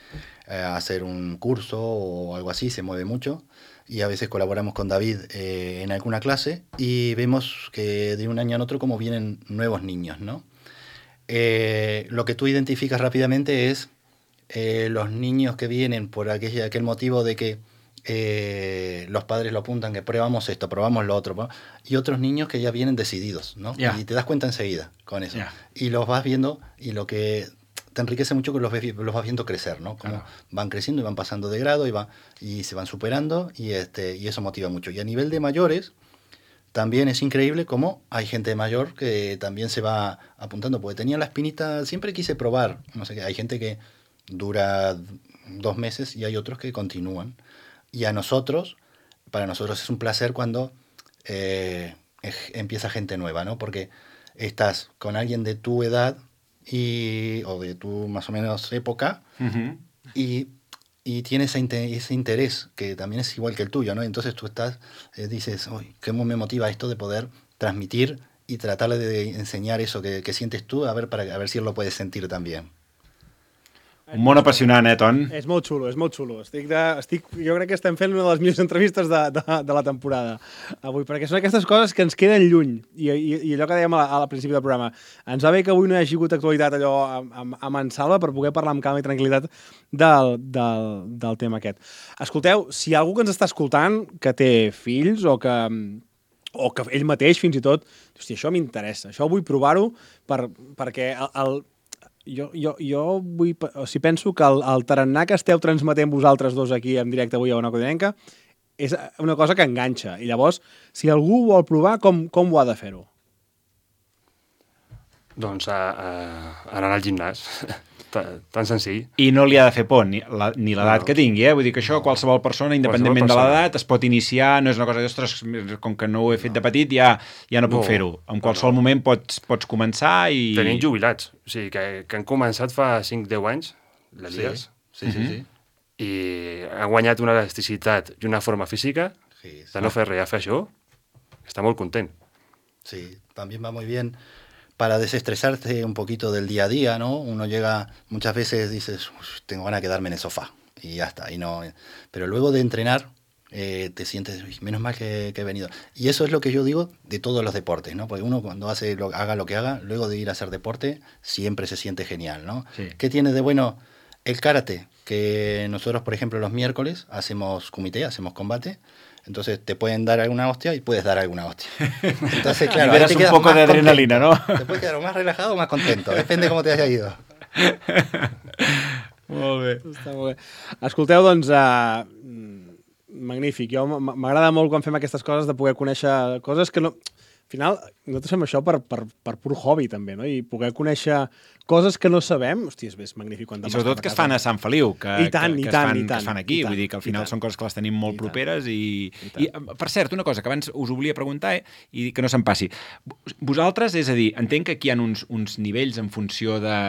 eh, hacer un curso o algo así, se mueve mucho. Y a veces colaboramos con David eh, en alguna clase y vemos que de un año en otro como vienen nuevos niños, ¿no? Eh, lo que tú identificas rápidamente es eh, los niños que vienen por aquel, aquel motivo de que eh, los padres lo apuntan, que probamos esto, probamos lo otro, y otros niños que ya vienen decididos, ¿no? Yeah. Y te das cuenta enseguida con eso. Yeah. Y los vas viendo, y lo que te enriquece mucho que los, ves, los vas viendo crecer, ¿no? Como Claro. van creciendo y van pasando de grado y, va, y se van superando, y, este, y eso motiva mucho. Y a nivel de mayores, también es increíble cómo hay gente mayor que también se va apuntando, porque tenía la espinita, siempre quise probar, no sé qué, hay gente que dura dos meses y hay otros que continúan. Y a nosotros, para nosotros es un placer cuando eh, empieza gente nueva, ¿no? Porque estás con alguien de tu edad y, o de tu más o menos época, Uh-huh. y, y tiene ese, inte- ese interés que también es igual que el tuyo, ¿no? Entonces tú estás, eh, dices, uy, ¿cómo me motiva esto de poder transmitir y tratarle de enseñar eso que, que sientes tú, a ver, para, a ver si él lo puedes sentir también? Un món apassionant, eh, Ton? És molt xulo, és molt xulo. Estic de, estic, jo crec que estem fent una de les millors entrevistes de, de, de la temporada avui, perquè són aquestes coses que ens queden lluny. I, i, i allò que dèiem al principi del programa, ens va bé que avui no hi hagi hagut actualitat allò amb, amb, amb en Salva per poder parlar amb calma i tranquil·litat del, del, del tema aquest. Escolteu, si hi ha algú que ens està escoltant que té fills o que o que ell mateix fins i tot, hòstia, això m'interessa, això vull provar-ho per, perquè el, el Jo, jo, jo vull, o sigui, penso que el, el tarannà que esteu transmetent vosaltres dos aquí en directe avui a Ona Codinenca és una cosa que enganxa. I llavors, si algú vol provar, com, com ho ha de fer-ho? Doncs a, a, anar al gimnàs. Tan senzill. I no li ha de fer por, ni la, ni l'edat no. que tingui, eh? Vull dir que això qualsevol persona, independentment qualsevol persona. de l'edat, es pot iniciar, no és una cosa d'ostres, com que no ho he fet no. de petit, ja, ja no puc no. fer-ho. En qualsevol no. moment pots, pots començar i... Tenim jubilats, o sigui, que, que han començat fa cinc deu anys, les lligues, sí, sí, sí, sí. i han guanyat una elasticitat i una forma física sí, sí. de no fer res, a fer això, està molt content. Sí, también va muy bien para desestresarte un poquito del día a día, ¿no? Uno llega, muchas veces dices, tengo ganas de quedarme en el sofá, y ya está. Y no, pero luego de entrenar, eh, te sientes, menos mal que, que he venido. Y eso es lo que yo digo de todos los deportes, ¿no? Porque uno cuando hace lo, haga lo que haga, luego de ir a hacer deporte, siempre se siente genial, ¿no? Sí. ¿Qué tiene de bueno el karate? Que nosotros, por ejemplo, los miércoles hacemos kumite, hacemos combate. Entonces te pueden dar alguna hostia y puedes dar alguna hostia. Entonces, claro, ahí te un poco de adrenalina, contento. ¿No? Te puedes quedar más relajado o más contento, depende de cómo te haya ido. Molt bé. Està molt bé. Escolteu, doncs, uh, magnífic. Jo m'agrada molt quan fem aquestes coses de poder conèixer coses que no... Al final, nosaltres fem això per, per, per pur hobby, també, no? I poder conèixer coses que no sabem, hòstia, és, és magnífic. Quan I sobretot que es fan a Sant Feliu, que, I tant, que, que, i tant, es fan, i tant, que es fan aquí. i tant, Vull dir que al final són coses que les tenim molt I properes i, i, i, per cert, una cosa que abans us volia preguntar eh, i que no se'm passi. Vosaltres, és a dir, entenc que aquí hi ha uns, uns nivells en funció de,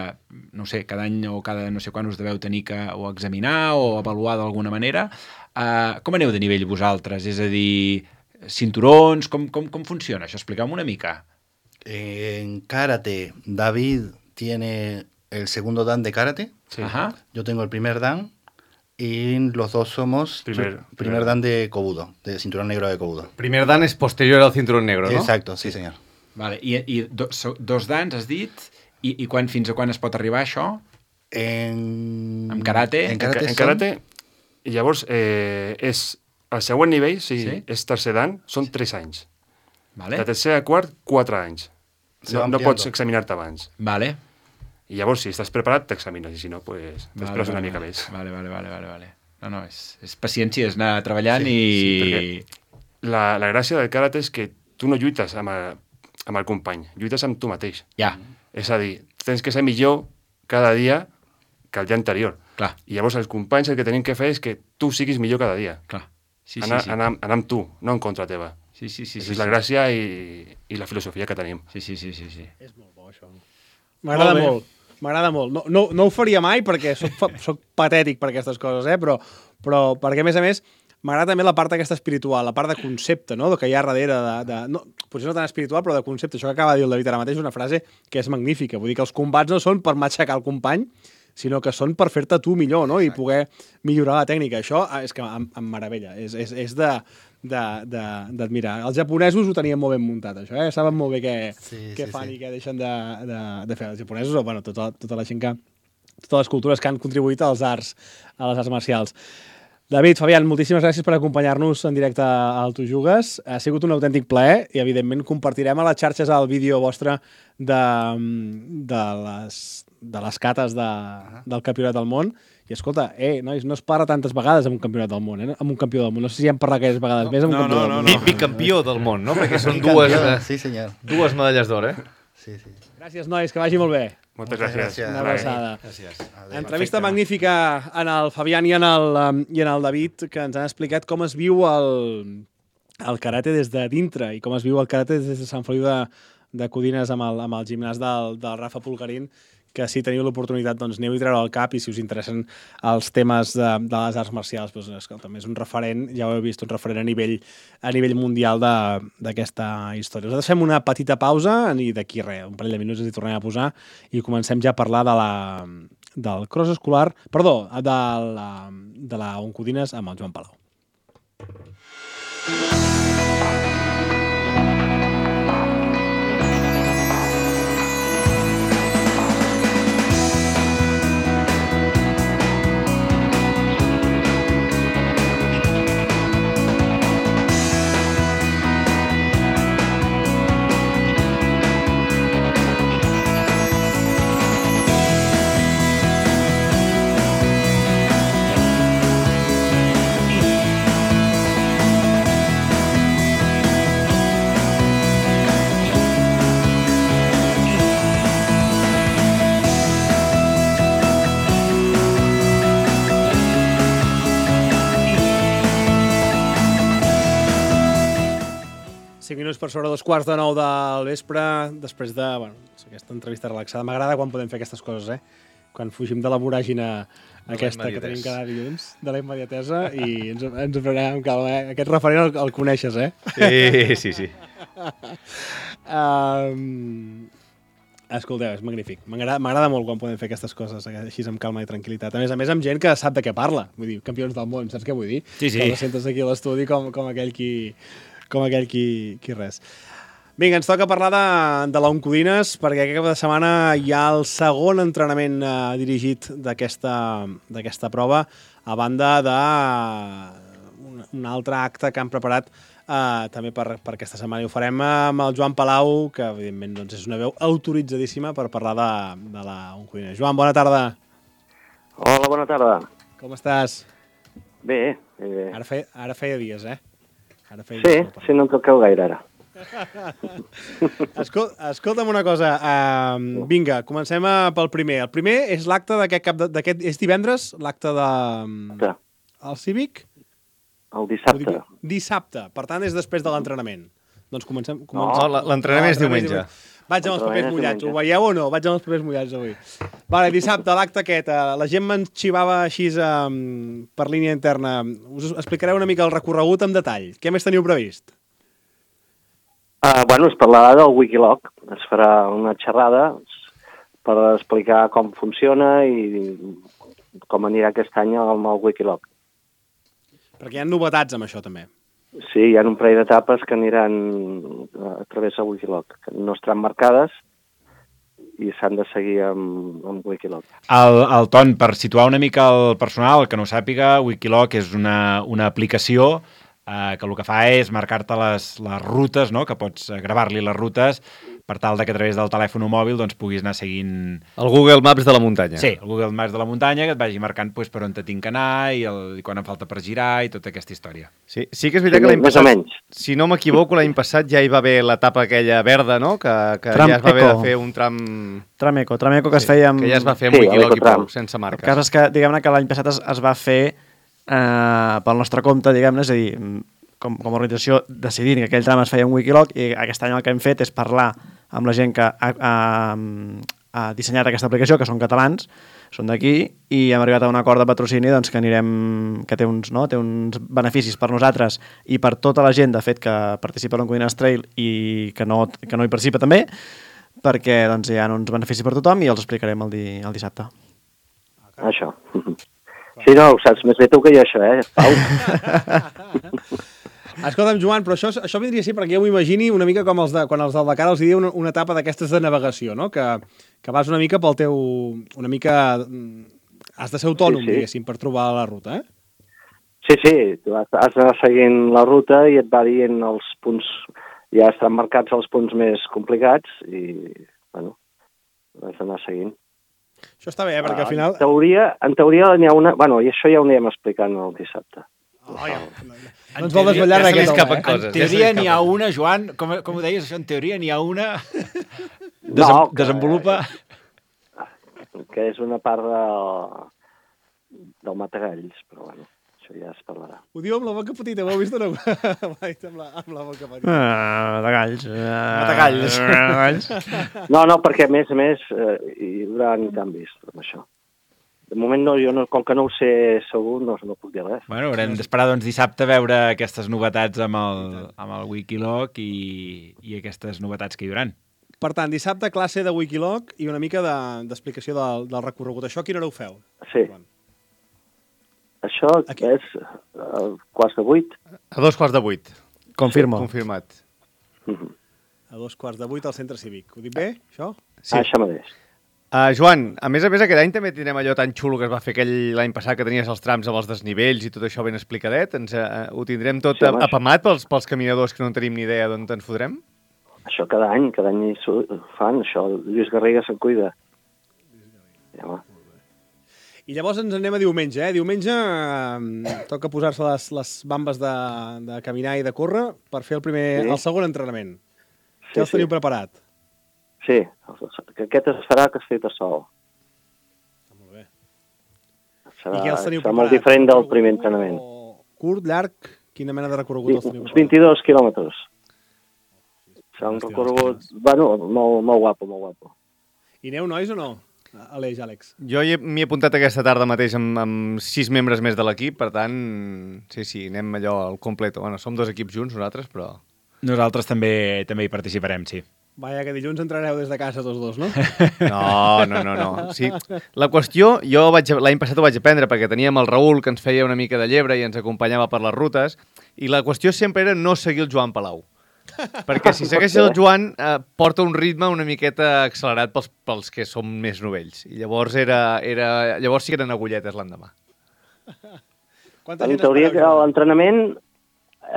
no sé, cada any o cada no sé quan us deveu tenir que o examinar o avaluar d'alguna manera. Uh, com aneu de nivell vosaltres? És a dir, cinturons, com, com, com funciona això? Expliqueu-me una mica. En karate, David tiene el segundo dan de karate. Sí. Ajá. Yo tengo el primer dan y los dos somos primer, primer, primer dan de Kobudo, de cinturón negro de Kobudo. Primer dan es posterior al cinturón negro, ¿no? Exacto, sí, señor. Vale. I, i do, so, dos dans, has dit? I, i quan, fins a quan es pot arribar això? En... En karate? En karate, en, en karate i llavors eh, és el següent nivell, si sí? és tercer dan, són tres anys. Vale. De tercer a quart, quatre anys. No, no pots examinar-te abans. Vale. I llavors, si estàs preparat, t'examines, i si no, pues, t'esperes vale, vale, una mica vale. més. Vale, vale, vale, vale, vale. No, no, és, és paciència, és anar treballant sí, i... Sí, la, la gràcia del karate és que tu no lluites amb el, amb el company, lluites amb tu mateix. Ja. És a dir, tens que ser millor cada dia que el dia anterior. Clar. I llavors els companys el que tenim que fer és que tu siguis millor cada dia. Clar. Sí, anar, sí, sí. Anar, anar amb tu, no en contra teva. Sí, sí, sí. Aquesta sí, és la sí. gràcia i, i la filosofia que tenim. Sí, sí, sí, sí, sí. És molt bo, això. M'agrada molt. M'agrada molt. No, no, no ho faria mai perquè soc, soc patètic per aquestes coses, eh? però, però perquè, a més a més, m'agrada també la part aquesta espiritual, la part de concepte, no? Que hi ha darrere de... de no, potser no tan espiritual, però de concepte. Això que acaba de dir el David ara mateix és una frase que és magnífica. Vull dir que els combats no són per matxacar el company, sinó que són per fer-te tu millor, no? I poder millorar la tècnica. Això és que em, em meravella. És, és, és de... d'admirar. Els japonesos ho tenien molt ben muntat, això, eh? Saben molt bé què, sí, què sí, fan sí. i què deixen de, de, de fer. Els japonesos, o bueno, tota, tota la gent que... totes les cultures que han contribuït als arts, a les arts marcials. David, Fabián, moltíssimes gràcies per acompanyar-nos en directe al Tu Jugues. Ha sigut un autèntic plaer i, evidentment, compartirem a les xarxes el vídeo vostre de, de, les, de les cates de, del Campionat del Món. I, escolta, eh, nois, no es parla tantes vegades amb un Campionat del Món, eh? Amb un campió del món. No sé si hem parlat aquelles vegades no, més amb un no, campió no, del no, món. no. Bicampió del món, no? Perquè són Bicampió, dues, sí, senyor. dues medalles d'or, eh? Sí, sí. Gràcies, nois, que vagi molt bé. Moltes gràcies. Una abraçada. Gràcies. Entrevista magnífica en el Fabián i en el, i en el David, que ens han explicat com es viu el, el karate des de dintre i com es viu el karate des de Sant Feliu de, de Codines amb el, amb el gimnàs del, del Rafa Pulgarín, que si teniu l'oportunitat, doncs aneu-hi a treure al cap i si us interessen els temes de, de les arts marcials, doncs, escolta, és un referent, ja ho heu vist, un referent a nivell, a nivell mundial d'aquesta història. Nosaltres fem una petita pausa i d'aquí res, un parell de minuts ens hi tornem a posar i comencem ja a parlar de la, del cross escolar, perdó, de la, de la Oncodines amb el Joan Palau. cinc minuts per sobre dos quarts de nou del vespre, després de bueno, aquesta entrevista relaxada. M'agrada quan podem fer aquestes coses, eh? Quan fugim de la voràgina aquesta que tenim cada dilluns, de la immediatesa, i ens, ens prenem amb calma. Eh? Aquest referent el, el coneixes, eh? Sí, sí, sí. um, escolteu, és magnífic. M'agrada molt quan podem fer aquestes coses així amb calma i tranquil·litat. A més a més, amb gent que sap de què parla. Vull dir, campions del món, saps què vull dir? Sí, sí. Que els sentes aquí a l'estudi com, com aquell qui... com aquell qui, qui res. Vinga, ens toca parlar de, de l'Oncodines, perquè aquest cap de setmana hi ha el segon entrenament eh, dirigit d'aquesta prova, a banda de un, un altre acte que han preparat eh, també per, per aquesta setmana. I ho farem amb el Joan Palau, que evidentment doncs, és una veu autoritzadíssima per parlar de, de l'Oncodines. Joan, bona tarda. Hola, bona tarda. Com estàs? Bé. Eh... Ara, feia, ara feia dies, eh? Ara sí, sí, no em toqueu gaire ara. Escol escolta'm una cosa, uh, vinga, comencem a, pel primer. El primer és l'acte d'aquest cap d'aquest... És divendres, l'acte de... Sí. El Cívic? El dissabte. Dic, dissabte, per tant és després de l'entrenament. Doncs comencem... comencem... No, l'entrenament és diumenge. Vaig amb els papers mullats, ho veieu o no? Vaig amb els papers mullats avui. Vale, dissabte, l'acte aquest, la gent me'n xivava així um, per línia interna. Us explicareu una mica el recorregut en detall. Què més teniu previst? Uh, bueno, es parlarà del Wikiloc. Es farà una xerrada per explicar com funciona i com anirà aquest any amb el Wikiloc. Perquè hi ha novetats amb això, també. Sí, hi ha un parell d'etapes que aniran a través del Wikiloc, que no estaran marcades i s'han de seguir amb, amb Wikiloc. El, el Ton, per situar una mica el personal, que no ho sàpiga, Wikiloc és una, una aplicació eh, que el que fa és marcar-te les, les rutes, no? Que pots gravar-li les rutes per tal de que a través del telèfon mòbil doncs, puguis anar seguint... El Google Maps de la muntanya. Sí, el Google Maps de la muntanya, que et vagi marcant pues, per on te tinc que anar i, el, i quan em falta per girar i tota aquesta història. Sí, sí que és veritat sí, que l'any passat, si no m'equivoco, l'any passat ja hi va haver l'etapa aquella verda, no? Que, que ja es va haver de fer un tram... Tram Eco, tram Eco que sí, es feia amb... Que ja es va fer amb sí, Wikiloc i prou, sense marques. El cas és que, diguem-ne, que l'any passat es, es va fer eh, pel nostre compte, diguem-ne, és a dir, com, com a organització decidint que aquell tram es feia en Wikiloc, i aquest any el que hem fet és parlar amb la gent que ha, ha, ha dissenyat aquesta aplicació, que són catalans, són d'aquí, i hem arribat a un acord de patrocini doncs, que anirem, que té uns, no? té uns beneficis per nosaltres i per tota la gent, de fet, que participa a l'Oncodines Trail i que no, que no hi participa també, perquè doncs, hi ha uns beneficis per tothom i els explicarem el, di, el dissabte. Això. Sí, no, ho saps més bé tu que jo, això, eh, Pau? Escolta'm, Joan, però això, això vindria a ser, perquè jo m'ho imagini una mica com els de, quan els del Dakar els diuen una, una etapa d'aquestes de navegació, no? Que, que vas una mica pel teu... Una mica... Has de ser autònom, sí, sí. diguéssim, per trobar la ruta, eh? Sí, sí, tu has, has d'anar seguint la ruta i et va dient els punts... Ja estan marcats els punts més complicats i, bueno, has d'anar seguint. Això està bé, eh? Perquè al final... En teoria, en teoria n'hi ha una... Bueno, i això ja ho anirem explicant el dissabte. Oh, ja. No ens vol desvetllar ja aquest home, eh? En teoria n'hi ha una, Joan, com, com ho deies això, en teoria n'hi ha una... Desem no, que, desenvolupa... Que és una part de, del Matagalls, però bueno, això ja es parlarà. Ho diu amb la boca petita, ho heu vist o no? amb, la, amb la boca petita. Ah, Matagalls. Ah, Matagalls. No, no, perquè a més a més eh, hi haurà canvis amb això. De moment, no, jo no, com que no ho sé segur, no, no puc dir res. Bueno, haurem d'esperar doncs, dissabte a veure aquestes novetats amb el, amb el Wikiloc i, i aquestes novetats que hi hauran. Per tant, dissabte classe de Wikiloc i una mica de- d'explicació del, del recorregut. Això a quina hora ho feu? Sí. Això Aquí. és a quarts de vuit. A dos quarts de vuit. Confirmo. Confirmat. A dos quarts de vuit al centre cívic. Ho dic bé, això? Sí. Ah, això mateix. Uh, Joan, a més a més, aquest any també tindrem allò tan xulo que es va fer aquell l'any passat, que tenies els trams amb els desnivells i tot això ben explicadet. Ens, uh, ho tindrem tot Sí, home, apamat pels, pels caminadors que no en tenim ni idea d'on ens fotrem? Això cada any, cada any hi su- fan, això. Lluís Garriga se'n cuida. Ja, home. I llavors ens anem a diumenge, eh? Diumenge eh, toca posar-se les, les bambes de, de caminar i de córrer per fer el primer, Sí. el segon entrenament. Sí, Què els sí. teniu preparat? Sí, que aquest es farà que estic a sol. Molt bé. Serà, I què els teniu serà preparat? molt diferent del Recorregut primer entrenament. o Curt, llarg? Quina mena de recorregut els teniu Uns preparat? vint-i-dos quilòmetres. Serà un Hòstia, recorregut, hòstia. bueno, molt, molt guapo, molt guapo. I aneu, nois, o no? Aleix, Àlex. Jo hi he- m'hi he apuntat aquesta tarda mateix amb, amb sis membres més de l'equip, per tant, sí, sí, anem allò al completo. Bueno, som dos equips junts nosaltres, però... Nosaltres també també hi participarem, sí. Vaja, que dilluns entrareu des de casa tots dos, no? No, no, no, no. Sí, la qüestió, jo vaig, l'any passat ho vaig aprendre perquè teníem el Raül que ens feia una mica de llebre i ens acompanyava per les rutes, i la qüestió sempre era no seguir el Joan Palau. Perquè si segueixes el Joan eh, porta un ritme una miqueta accelerat pels, pels que som més novells. I llavors era, era llavors sí que eren agulletes l'endemà. Quanta En gent teoria espereu, Joan? l'entrenament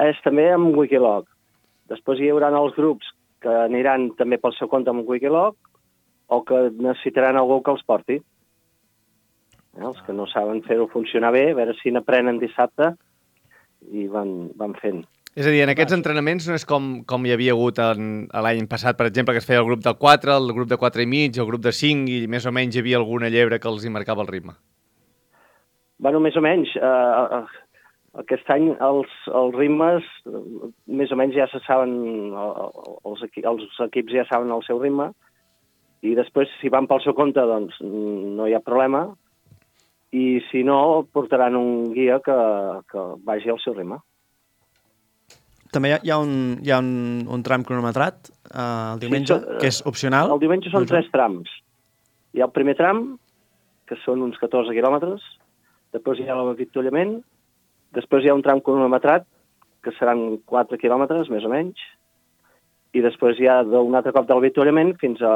és també amb Wikiloc. Després hi haurà els grups que aniran també pel seu compte amb Wikiloc o que necessitaran algú que els porti. Eh, els que no saben fer-ho funcionar bé, a veure si n'aprenen dissabte i van, van fent. És a dir, en aquests entrenaments no és com, com hi havia hagut en, l'any passat, per exemple, que es feia el grup del quatre, el grup de quatre i mig, el grup de cinc, i més o menys hi havia alguna llebre que els hi marcava el ritme. Bueno, més o menys. Eh, aquest any els, els ritmes eh, més o menys ja se saben, eh, els, equi els equips ja saben el seu ritme, i després, si van pel seu compte, doncs no hi ha problema, i si no, portaran un guia que, que vagi al seu ritme. També hi ha, hi ha, un, hi ha un, un tram cronometrat eh, el diumenge, Sí, so- que és opcional. El diumenge són No, tres trams. Hi ha el primer tram, que són uns catorze quilòmetres, després hi ha l'avituallament, després hi ha un tram cronometrat, que seran quatre quilòmetres, més o menys, i després hi ha un altre cop d'avituallament fins a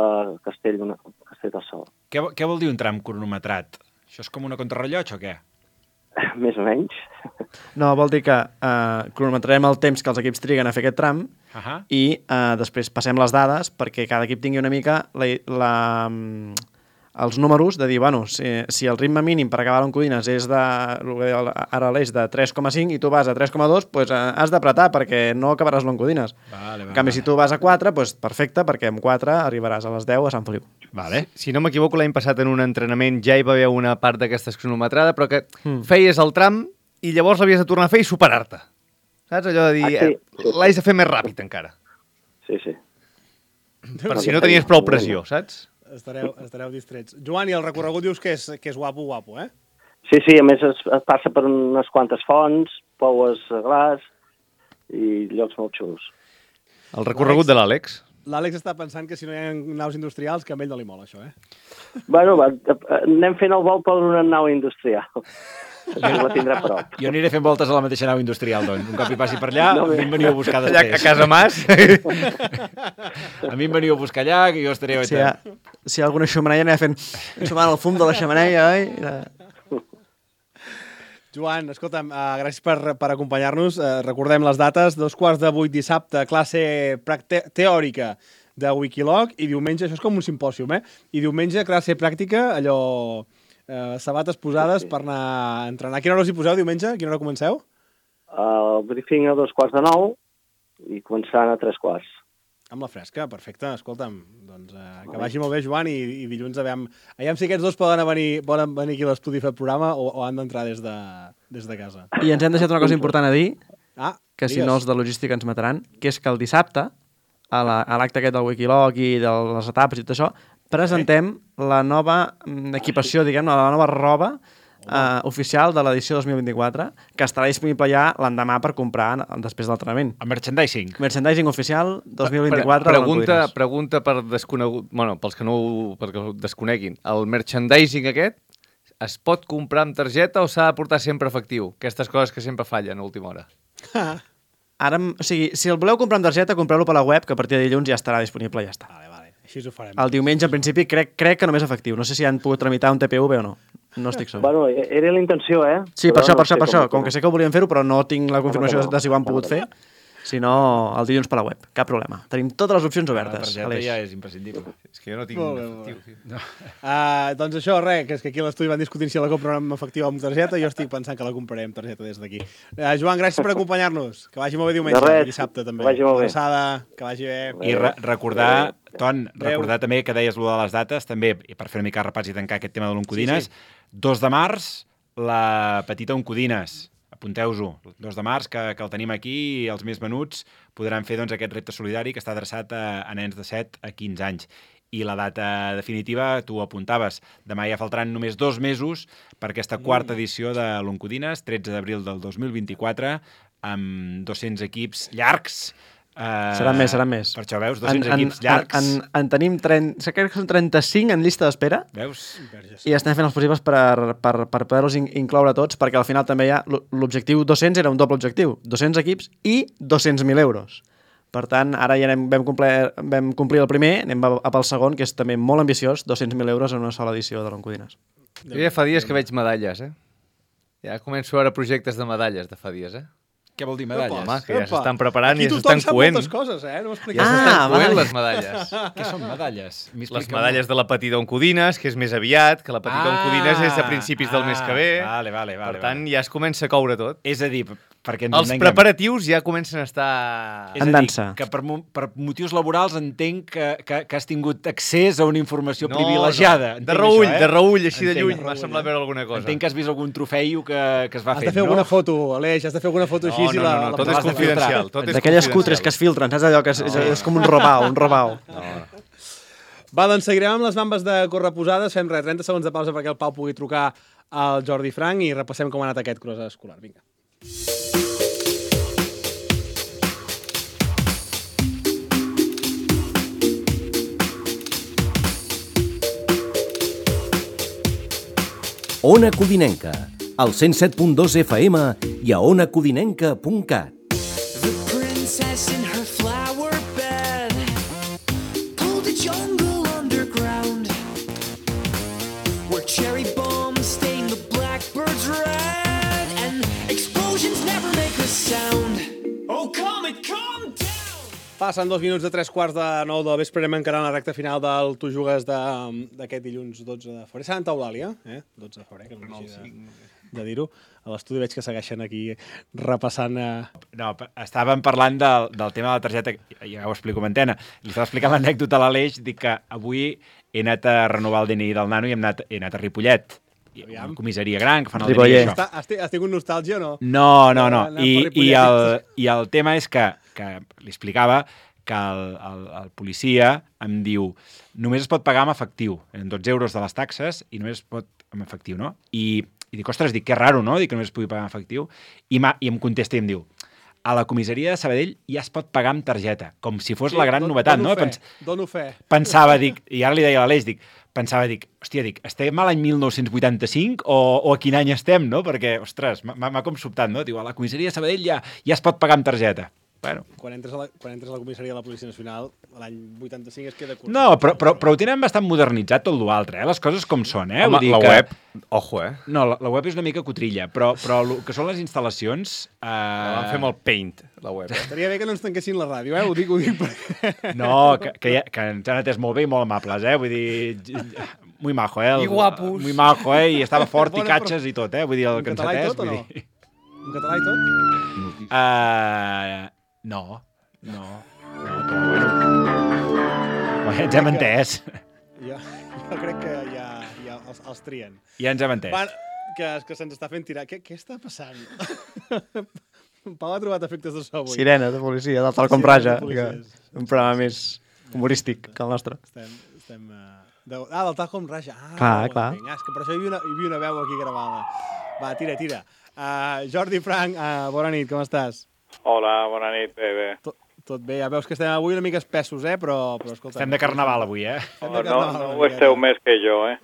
Castell, Castell del Sol. Què, què vol dir un tram cronometrat? Això és com una contrarrellotge o què? Més o menys. No, vol dir que eh, cronometrarem el temps que els equips triguen a fer aquest tram Uh -huh. i eh, després passem les dades perquè cada equip tingui una mica la, la, els números de dir, bueno, si, si el ritme mínim per acabar l'Oncodines és de, ara l'eix de tres coma cinc i tu vas a tres coma dos, pues, eh, has d'apretar perquè no acabaràs l'Oncodines. Vale, En canvi, si tu vas a quatre, pues, perfecte, perquè amb quatre arribaràs a les deu a Sant Feliu. Vale. Si no m'equivoco, l'any passat en un entrenament ja hi va haver una part d'aquesta cronometrada, però que mm. feies el tram i llavors l'havies de tornar a fer i superar-te. Saps? Allò de dir, Ah, sí. eh, l'haig de fer més ràpid encara. Sí, sí. Per si no tenies prou pressió, saps? Estareu, estareu distrets. Joan, i el recorregut dius que és, que és guapo, guapo, eh? Sí, sí, a més es, es passa per unes quantes fonts, poues a glaç i llocs molt xulos. El recorregut de l'Àlex. L'Àlex està pensant que si no hi ha naus industrials, que a ell no li mola això, eh? Bueno, va, anem fent el vol per una nau industrial. Així la tindrà a prop. Jo aniré fent voltes a la mateixa nau industrial, doncs. Un cop hi passi per allà, No, a mi em veniu a buscar Allà després. a casa Mas. A mi em veniu a buscar allà, que jo estaré... Si hi ha, si hi ha alguna xemeneia, anem fent sumant el fum de la xemeneia, oi? Joan, escolta'm, uh, gràcies per, per acompanyar-nos. Uh, recordem les dates, dos quarts de vuit dissabte, classe practe- teòrica de Wikiloc, i diumenge, això és com un simpòsium, eh? I diumenge, classe pràctica, allò... Uh, sabates posades Sí, sí. per anar a entrenar. A quina hora us hi poseu diumenge? A quina hora comenceu? El briefing a dos quarts de nou i començaran a tres quarts. Amb la fresca, perfecte. Escolta'm, doncs uh, que vagi molt bé, Joan, i, i dilluns aviam, aviam si aquests dos poden venir, poden venir aquí a l'estudi a fer el programa o, o han d'entrar des, de, des de casa. I ens hem deixat una cosa important a dir, Ah, que si digues. no els de logística ens mataran, que és que el dissabte, a la- a l'acte aquest del Wikiloc i de les etapes i tot això, presentem la nova mm, equipació, diguem-ne, la nova roba uh, oficial de l'edició dos mil vint-i-quatre, que estarà disponible ja l'endemà per comprar després de l'entrenament. El merchandising. Merchandising oficial dos mil vint-i-quatre. Pre pregunta, pregunta per desconegut... Bueno, pels que no ho, perquè ho desconeguin. El merchandising aquest es pot comprar amb targeta o s'ha de portar sempre efectiu? Aquestes coses que sempre fallen a última hora. Ara, o sigui, si el voleu comprar amb targeta, compreu-lo per la web, que a partir de dilluns ja estarà disponible i ja està. Vale, vale. Així ho farem. El diumenge, en principi, crec, crec que només efectiu. No sé si han pogut tramitar un T P V o no. No estic segur. Bueno, era la intenció, eh? Sí, per Però això, no per això, sé per això. com- Com que sé que ho volien fer-ho, però no tinc la confirmació no, no. de si ho han No, pogut no, fer. Si no, el dilluns per la web. Cap problema. Tenim totes les opcions La obertes. targeta Aleix. ja és imprescindible. És que jo no tinc Molt bé, efectiu. molt tio. Uh, doncs això, res, que és que aquí a l'estudi van discutint si la compren amb efectiu o amb targeta, jo estic pensant que la compraré amb targeta des d'aquí. Uh, Joan, gràcies per acompanyar-nos. Que vagi molt bé diumenge De res. i dissabte també. Que vagi molt bé. Abraçada, que vagi bé. I re recordar, Ton, Adéu. recordar també que deies allò de les dates, també, i per fer una mica repàs i tancar aquest tema de l'Oncodines, Sí, sí. dos de març, la petita Oncodines. Apunteu-ho, dos de març, que, que el tenim aquí, i els més menuts podran fer doncs, aquest repte solidari que està adreçat a, a nens de set a quinze anys. I la data definitiva, tu ho apuntaves, demà ja faltaran només dos mesos per aquesta quarta edició de l'Oncodines, tretze d'abril del dos mil vint-i-quatre, amb dos-cents equips llargs. Uh, Seran més, seran més. Per això, veus, dos-cents equips llargs. En, en, en tenim trenta, crec que són trenta-cinc en llista d'espera Veus? i estem fent els possibles per, per, per poder-los in, incloure tots, perquè al final també hi ha l'objectiu dos-cents era un doble objectiu, dos-cents equips i dos-cents mil euros. Per tant, ara ja anem, vam, complir, vam complir el primer, anem a, a pel segon, que és també molt ambiciós, dos-cents mil euros en una sola edició de l'Oncodines. Jo ja fa dies que veig medalles, eh? Ja començo a veure projectes de medalles de fa dies, eh? Què vol dir medalles? Home, que ja Epa. s'estan preparant i Aquí ja tothom s'estan sap coent. moltes coses, eh? No Ja m'expliquis. Ah, s'estan coent vale. les medalles. Què són medalles? Les medalles de la petita Oncodines, que és més aviat, que la petita Oncodines és a principis del mes que ve. Vale, vale, vale. Per tant, vale. ja es comença a coure tot. És a dir, perquè ens Els entenguem. preparatius ja comencen a estar... És En a dir, dansa. que per, mo- per motius laborals entenc que, que, que has tingut accés a una informació No, privilegiada. no. Entenc De reull, això, eh? de reull, així de Entenc, lluny. de M'ha reull, semblat eh? veure alguna cosa. Entenc que has vist algun trofeio que, que es va Has fent, de fer no? alguna foto, Aleix, has de fer alguna foto No, així no, i la... no, no, la tot posaràs és de confidencial. filtrar. Tot és D'aquelles confidencial. cutres que es filtren, saps allò que és, és, és com un robau, un robau. Va, doncs seguirem amb les bambes de correposades. Fem res, trenta segons de pausa perquè el Pau pugui trucar al Jordi Frank i repassem com ha anat aquest cross escolar. Vinga. Ona Codinenca, al cent set punt dos F M i a ona codinenca punt cat. The princess in her flower bed pulled a jungle underground where cherry bombs stain the blackbirds red and explosions never make a sound. Oh, comet, calm down! Passen dos minuts de tres quarts de nou del vespre, anem encarant la recta final del Tu Jugues de- d'aquest dilluns dotze de febrer. Santa Eulàlia, eh? dotze de febrer, que no m'hagi de, de dir-ho. A l'estudi veig que segueixen aquí repassant... Eh... No, pa- estàvem parlant del, del tema de la targeta, ja ho explico en antena. Li estava explicant l'anècdota a l'Aleix, dic que avui he anat a renovar el D N I del nano i hem anat, he anat a Ripollet. I Aviam. una comissaria gran, que fan el Ripollet. D N I. Això. Està, has, ti- has tingut nostàlgia o no? No, no, no. Anar I, per i, Ripollet. el, I el tema és que, que li explicava que el, el, el policia em diu només es pot pagar amb efectiu, en dotze euros de les taxes, i només es pot amb efectiu, no? I, i dic, ostres, dic, que raro, no? Dic que només es pugui pagar amb efectiu. I, I em contesta i em diu, a la comissaria de Sabadell ja es pot pagar amb targeta, com si fos la gran don- novetat, dono no? Fe, Pens dono fe. pensava, dic, i ara li deia a l'Aleix, dic, pensava, dic, hòstia, dic, estem a l'any mil nou-cents vuitanta-cinc o, o a quin any estem, no? Perquè, ostres, m'ha m'ha com sobtat, no? Diu, a la comissaria de Sabadell ja, ja es pot pagar amb targeta. Bueno, Quan entres a la, quan entres a la comissaria de la Policia Nacional, l'any vuitanta-cinc es queda curt. no, però, però, però ho tenen bastant modernitzat tot l'altre, eh? Les coses com són, eh? Home, Vull dir la que... web, ojo, eh? No, la, la web és una mica cotrilla, però, però el que són les instal·lacions... Eh... La van fer amb el Paint, la web. Eh? Estaria bé que no ens tanquessin la ràdio, eh? Ho dic, ho dic perquè... No, que, que, ja, que ens han atès molt bé i molt amables, eh? Vull dir... Muy majo, eh? El, I guapos. Muy majo, eh? I estava fort i Bona, catxes i tot, eh? Vull dir, el En que ens català i ha atès... tot o Vull no? dir... En català i tot? Uh, no, no, no, però bueno. Bueno, ja ens hem entès. Jo, jo crec que ja, ja els, els trien. Ja ens hem entès. Va, que, que se'ns està fent tirar. Què, què està passant? En Pau ha trobat efectes de so avui. Sirena de policia, del tal com Sirena de raja, que, policies. un programa més humorístic que el nostre. Estem, estem uh, De... Ah, del Tajo amb Raja. Ah, Clar, no, clar. Ah, és que per això hi havia una, hi havia una veu aquí gravada. Va, tira, tira. Uh, Jordi Frank, uh, bona nit, com estàs? Hola, bona nit, bé, bé. Tot, tot bé, ja veus que estem avui una mica espessos, eh? Però, però escolta... Estem de carnaval avui, eh? Oh, no, no ho esteu més que jo, eh?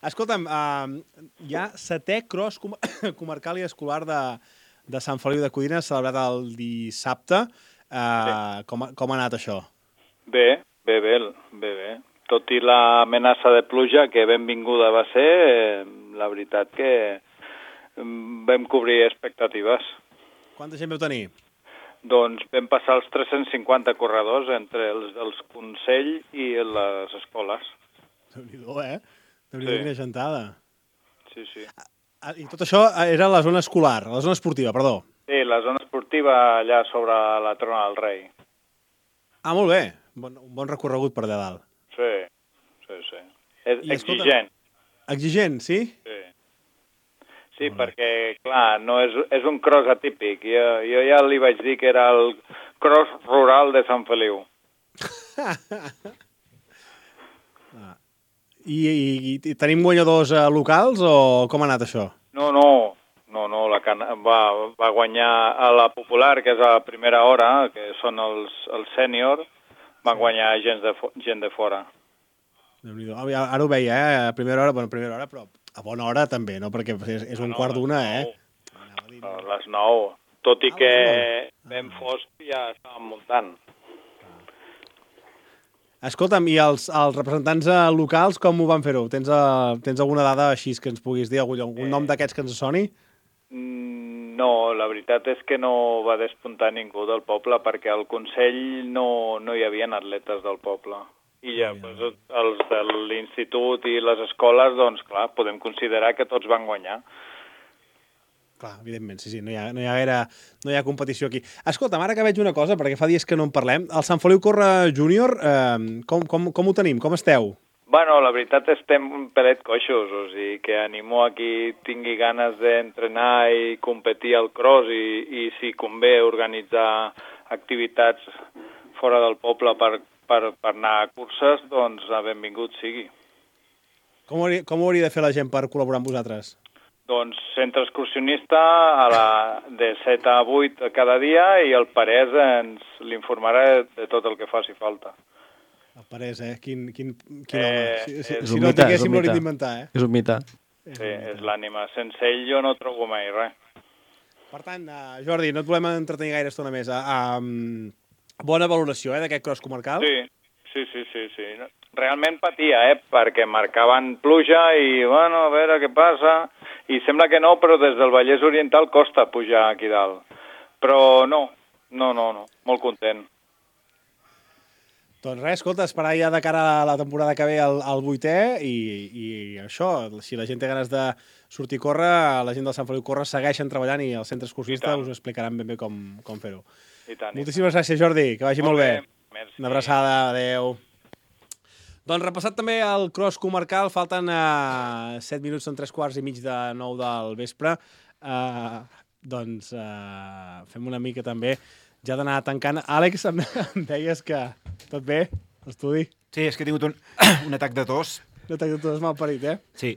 Escolta'm, uh, hi ha setè cross com comarcal i escolar de, de Sant Feliu de Codines celebrat el dissabte. Uh, sí. com, com ha anat això? Bé, bé, bé, bé, bé. Tot i l'amenaça de pluja, que benvinguda va ser, eh, la veritat que vam cobrir expectatives. Quanta gent vau tenir? Doncs vam passar els tres-cents cinquanta corredors entre els, els Consell i les escoles. Déu-n'hi-do, eh? Déu-n'hi-do, Sí. quina gentada. Sí, sí. Ah, I tot això era a la zona escolar, a la zona esportiva, perdó. Sí, la zona esportiva allà sobre la Trona del Rei. Ah, molt bé. Bon, un bon recorregut per allà dalt. Sí, sí, sí. És I, escolta, exigent. Exigent, sí? Sí. Sí, perquè, clar, no és, és un cross atípic. Jo, jo ja li vaig dir que era el cross rural de Sant Feliu. ah. I, i, I tenim guanyadors eh, locals o com ha anat això? No, no, no, no la can... va, va guanyar a la popular, que és a la primera hora, que són els, els sènior, van guanyar gent de, fo... gent de fora. Déu-n'hi-do. Ara, ara ho veia, eh? A primera hora, bueno, a primera hora, però a bona hora també, no? Perquè és, és un No, quart d'una, eh? A les nou. Tot i Ah, que les ben fosc ja estàvem muntant. Escolta'm, i els, els representants eh, locals com ho van fer-ho? Tens, eh, tens alguna dada així que ens puguis dir? Algun, algun nom d'aquests que ens soni? Mm, No, la veritat és que no va despuntar ningú del poble perquè al Consell no, no hi havia atletes del poble. I ja, doncs, els de l'institut i les escoles, doncs clar, podem considerar que tots van guanyar. Clar, evidentment, sí, sí, no hi ha, no hi ha gaire, no hi ha competició aquí. Escolta'm, ara que veig una cosa, perquè fa dies que no en parlem, el Sant Feliu Corre Júnior, eh, com, com, com ho tenim? Com esteu? Bueno, la veritat estem un pelet coixos, o sigui que animo a qui tingui ganes d'entrenar i competir al cross i, i si convé organitzar activitats fora del poble per, per, per anar a curses, doncs benvingut sigui. Com ho, hauria, com ho hauria de fer la gent per col·laborar amb vosaltres? Doncs centre excursionista a la, de set a vuit cada dia i el Parès ens l'informarà de tot el que faci falta. El Parès, eh? Quin, quin, quin Eh, home. Si, si, és si un no mite, és tinguéssim un l'hauríem mite. d'inventar, eh? És un mite. Sí, és l'ànima. Sense ell jo no trobo mai res. Per tant, uh, Jordi, no et volem entretenir gaire estona més. Uh, um, bona valoració, eh, d'aquest cross comarcal? Sí, sí, sí, sí, sí. Realment patia, eh, perquè marcaven pluja i, bueno, a veure què passa. I sembla que no, però des del Vallès Oriental costa pujar aquí dalt. Però no, no, no, no. Molt content. Doncs res, escolta, esperar ja de cara a la temporada que ve al, al vuitè i, i això, si la gent té ganes de sortir a córrer, la gent del Sant Feliu Corre segueixen treballant i el centre excursionista us ho explicaran ben bé com, com fer-ho. I tant. Moltíssimes gràcies, Jordi, que vagi molt, Molt bé. bé, merci. Una abraçada, adeu. Doncs repassat també el cross comarcal, falten uh, set minuts, són tres quarts i mig de nou del vespre. Uh, doncs uh, fem una mica també ja d'anar tancant. Àlex, em, em deies que tot bé, l'estudi? Sí, és que he tingut un, un atac de tos. No t'ha tot mal parit, eh? Sí.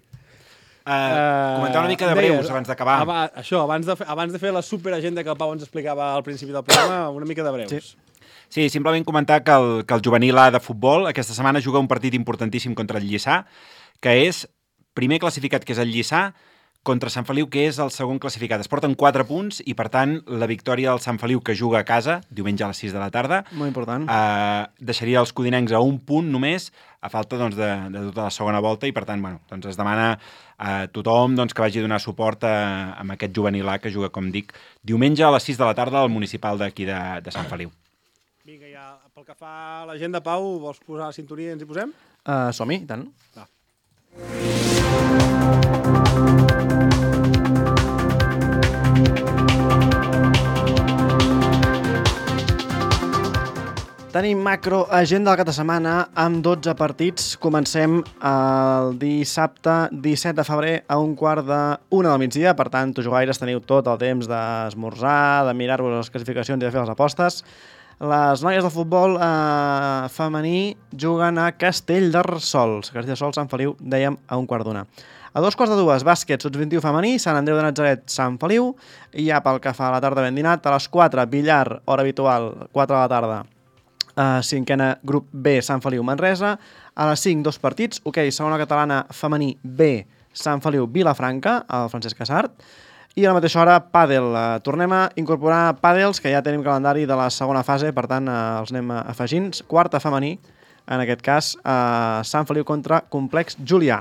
Uh, comentar una mica de breus deies, abans d'acabar. aba- Això, abans de, fer, abans de fer la superagenda que el Pau ens explicava al principi del programa, una mica de breus. Sí. Sí, simplement comentar que el, que el juvenil A de futbol aquesta setmana juga un partit importantíssim contra el Lliçà, que és primer classificat, que és el Lliçà, contra Sant Feliu, que és el segon classificat. Es porten quatre punts i, per tant, la victòria del Sant Feliu, que juga a casa, diumenge a les sis de la tarda, Molt important. eh, deixaria els codinencs a un punt només, a falta doncs, de, de tota la segona volta, i, per tant, bueno, doncs es demana a tothom doncs, que vagi a donar suport a, a aquest juvenil A, que juga, com dic, diumenge a les sis de la tarda al municipal d'aquí de, de Sant Feliu. Vinga, ja, pel que fa a l'agenda, Pau, vols posar la sintonia i ens hi posem? Uh, Som-hi, i tant. Va. Tenim macro agenda del cap de setmana amb dotze partits. Comencem el dissabte disset de febrer a un quart d'una del migdia. Per tant, tots jugaires teniu tot el temps d'esmorzar, de mirar-vos les classificacions i de fer les apostes. Les noies de futbol eh, femení juguen a Castellterçol. Castellterçol, Sant Feliu, dèiem, a un quart d'una. A dos quarts de dues, bàsquet, sots vint-i-u femení, Sant Andreu de Natzaret, Sant Feliu. I ja pel que fa a la tarda ben dinat, a les quatre, billar, hora habitual, quatre de la tarda, Uh, cinquena, grup B, Sant Feliu, Manresa. A les cinc, dos partits. Ok, segona catalana, femení B, Sant Feliu, Vilafranca, al Francesc Casart. I a la mateixa hora, pàdel. Uh, tornem a incorporar pàdels, que ja tenim calendari de la segona fase, per tant, uh, els anem afegint. Quarta femení, en aquest cas, uh, Sant Feliu contra Complex Julià.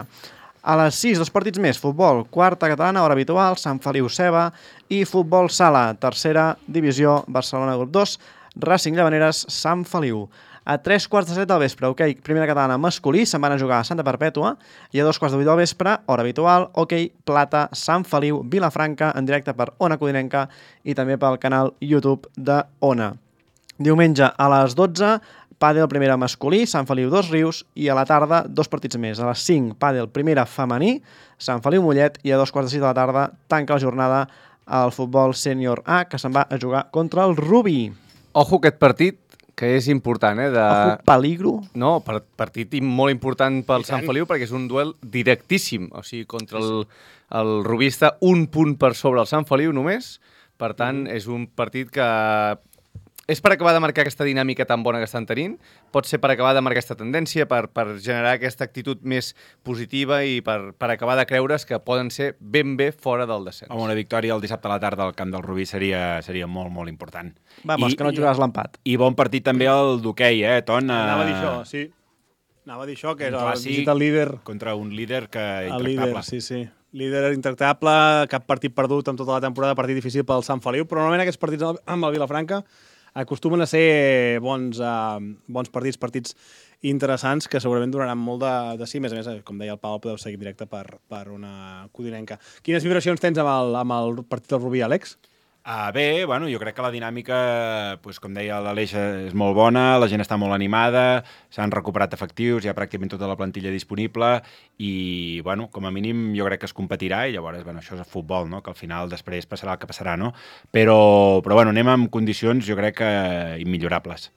A les sis, dos partits més. Futbol, quarta catalana, hora habitual, Sant Feliu, Ceba. I futbol sala, tercera divisió, Barcelona, grup dos, Racing Llavaneres, Sant Feliu. A tres quarts de set del vespre, ok, primera catalana masculí, se'n van a jugar a Santa Perpètua, i a dos quarts de vuit del vespre, hora habitual, ok, plata, Sant Feliu, Vilafranca, en directe per Ona Codinenca i també pel canal YouTube de Ona. Diumenge a les dotze, pàdel primera masculí, Sant Feliu, Dos Rius, i a la tarda, dos partits més. A les cinc, pàdel primera femení, Sant Feliu, Mollet, i a dos quarts de sis de la tarda, tanca la jornada al futbol sènior A, que se'n va a jugar contra el Rubí. Ojo aquest partit, que és important, eh? De... Ojo, peligro. No, per, partit molt important pel Sant Feliu, perquè és un duel directíssim. O sigui, contra el, el Rubí està un punt per sobre el Sant Feliu només. Per tant, és un partit que... És per acabar de marcar aquesta dinàmica tan bona que estan tenint, pot ser per acabar de marcar aquesta tendència, per, per generar aquesta actitud més positiva i per, per acabar de creure's que poden ser ben bé fora del descens. Amb una victòria el dissabte a la tarda al camp del Rubí seria, seria molt, molt important. Vamos, I, que no jugaràs l'empat. I bon partit també el d'hoquei, eh, Ton? Anava a dir això, sí. Anava a dir això, que era el el líder... Contra un líder que el intractable. líder, sí, sí. Líder intractable, cap partit perdut en tota la temporada, partit difícil pel Sant Feliu, però normalment aquests partits amb el Vilafranca acostumen a ser bons, uh, bons partits, partits interessants que segurament donaran molt de, de sí. A més a més, com deia el Pau, podeu seguir directe per, per una codinenca. Quines vibracions tens amb el, amb el partit del Rubí, Àlex? Uh, bé, bueno, jo crec que la dinàmica, pues, com deia l'Aleix, és molt bona, la gent està molt animada, s'han recuperat efectius, hi ha pràcticament tota la plantilla disponible i, bueno, com a mínim jo crec que es competirà i llavors, bueno, això és futbol, no? Que al final després passarà el que passarà, no? Però, però bueno, anem amb condicions, jo crec que immillorables.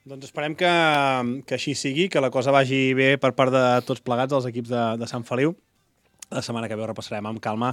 Doncs esperem que, que així sigui, que la cosa vagi bé per part de tots plegats, els equips de, de Sant Feliu. La setmana que ve ho repassarem amb calma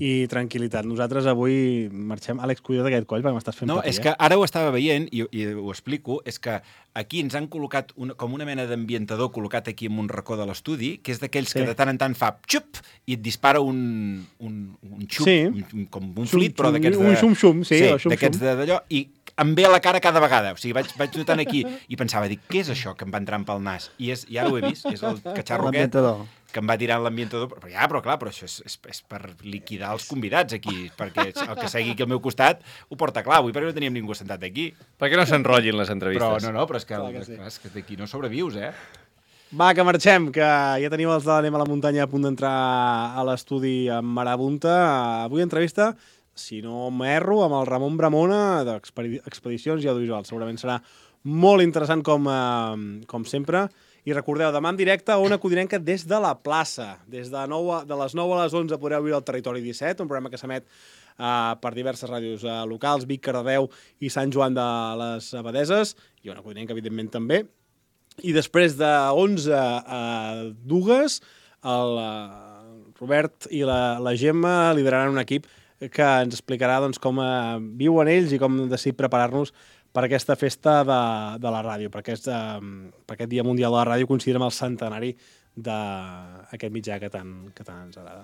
i tranquil·litat. Nosaltres avui marxem... Àlex, cuida't d'aquest coll, perquè m'estàs fent no, patir. És que ara ho estava veient i, i ho explico, és que aquí ens han col·locat una, com una mena d'ambientador col·locat aquí en un racó de l'estudi, que és d'aquells sí. que de tant en tant fa xup i et dispara un, un, un xup, sí. un, com un flit, però d'aquests de... Un xum-xum, sí. Sí, d'aquests d'allò, i em ve a la cara cada vegada. O sigui, vaig, vaig notant aquí i pensava, dic, què és això que em va entrant pel nas? I, és, i ara ho he vist, és el catxarro aquest que em va tirant l'ambientador. Però ja, però clar, però això és, és, és per liquidar els convidats aquí, perquè el que segui aquí al meu costat ho porta clar. Avui perquè no teníem ningú sentat aquí. Per què no s'enrotllin les entrevistes? Però no, no, però és que, clar que, sí. sí. clar, és que d'aquí no sobrevius, eh? Va, que marxem, que ja teniu els de l'Anem a la muntanya a punt d'entrar a l'estudi amb Marabunta. Avui entrevista, si no m'erro, amb el Ramon Bramona d'Expedicions i Audiovisuals. Segurament serà molt interessant com, eh, com sempre. I recordeu, demà en directe a Ona Codinenca des de la plaça. Des de, nou, de les nou a les onze podreu viure al Territori disset, un programa que s'emet uh, per diverses ràdios uh, locals, Vic, Cardedeu i Sant Joan de les Abadeses, i Ona Codinenca, evidentment, també. I després de onze a dues, el uh, Robert i la, la Gemma lideraran un equip que ens explicarà doncs, com uh, viuen ells i com decidir preparar-nos per aquesta festa de, de la ràdio, per aquest, eh, per aquest Dia Mundial de la Ràdio, considerem el centenari d'aquest mitjà que tant, que tant ens agrada.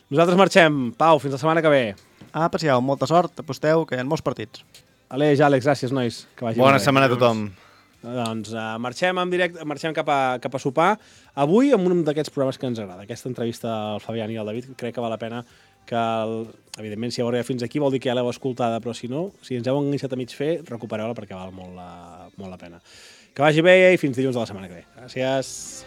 Nosaltres marxem. Pau, fins la setmana que ve. Ah, aprecieu, molta sort, aposteu, que hi ha molts partits. Aleix, Àlex, gràcies, nois. Que vagi Bona bé. setmana a tothom. Doncs uh, marxem en directe, marxem cap a, cap a sopar. Avui amb un d'aquests programes que ens agrada. Aquesta entrevista al Fabián i al David, crec que val la pena que, el, evidentment, si heu arribat fins aquí vol dir que ja l'heu escoltada, però si no, si ens heu enganxat a mig fer, recupereu-la perquè val molt la, molt la pena. Que vagi bé i fins dilluns de la setmana que ve. Gràcies.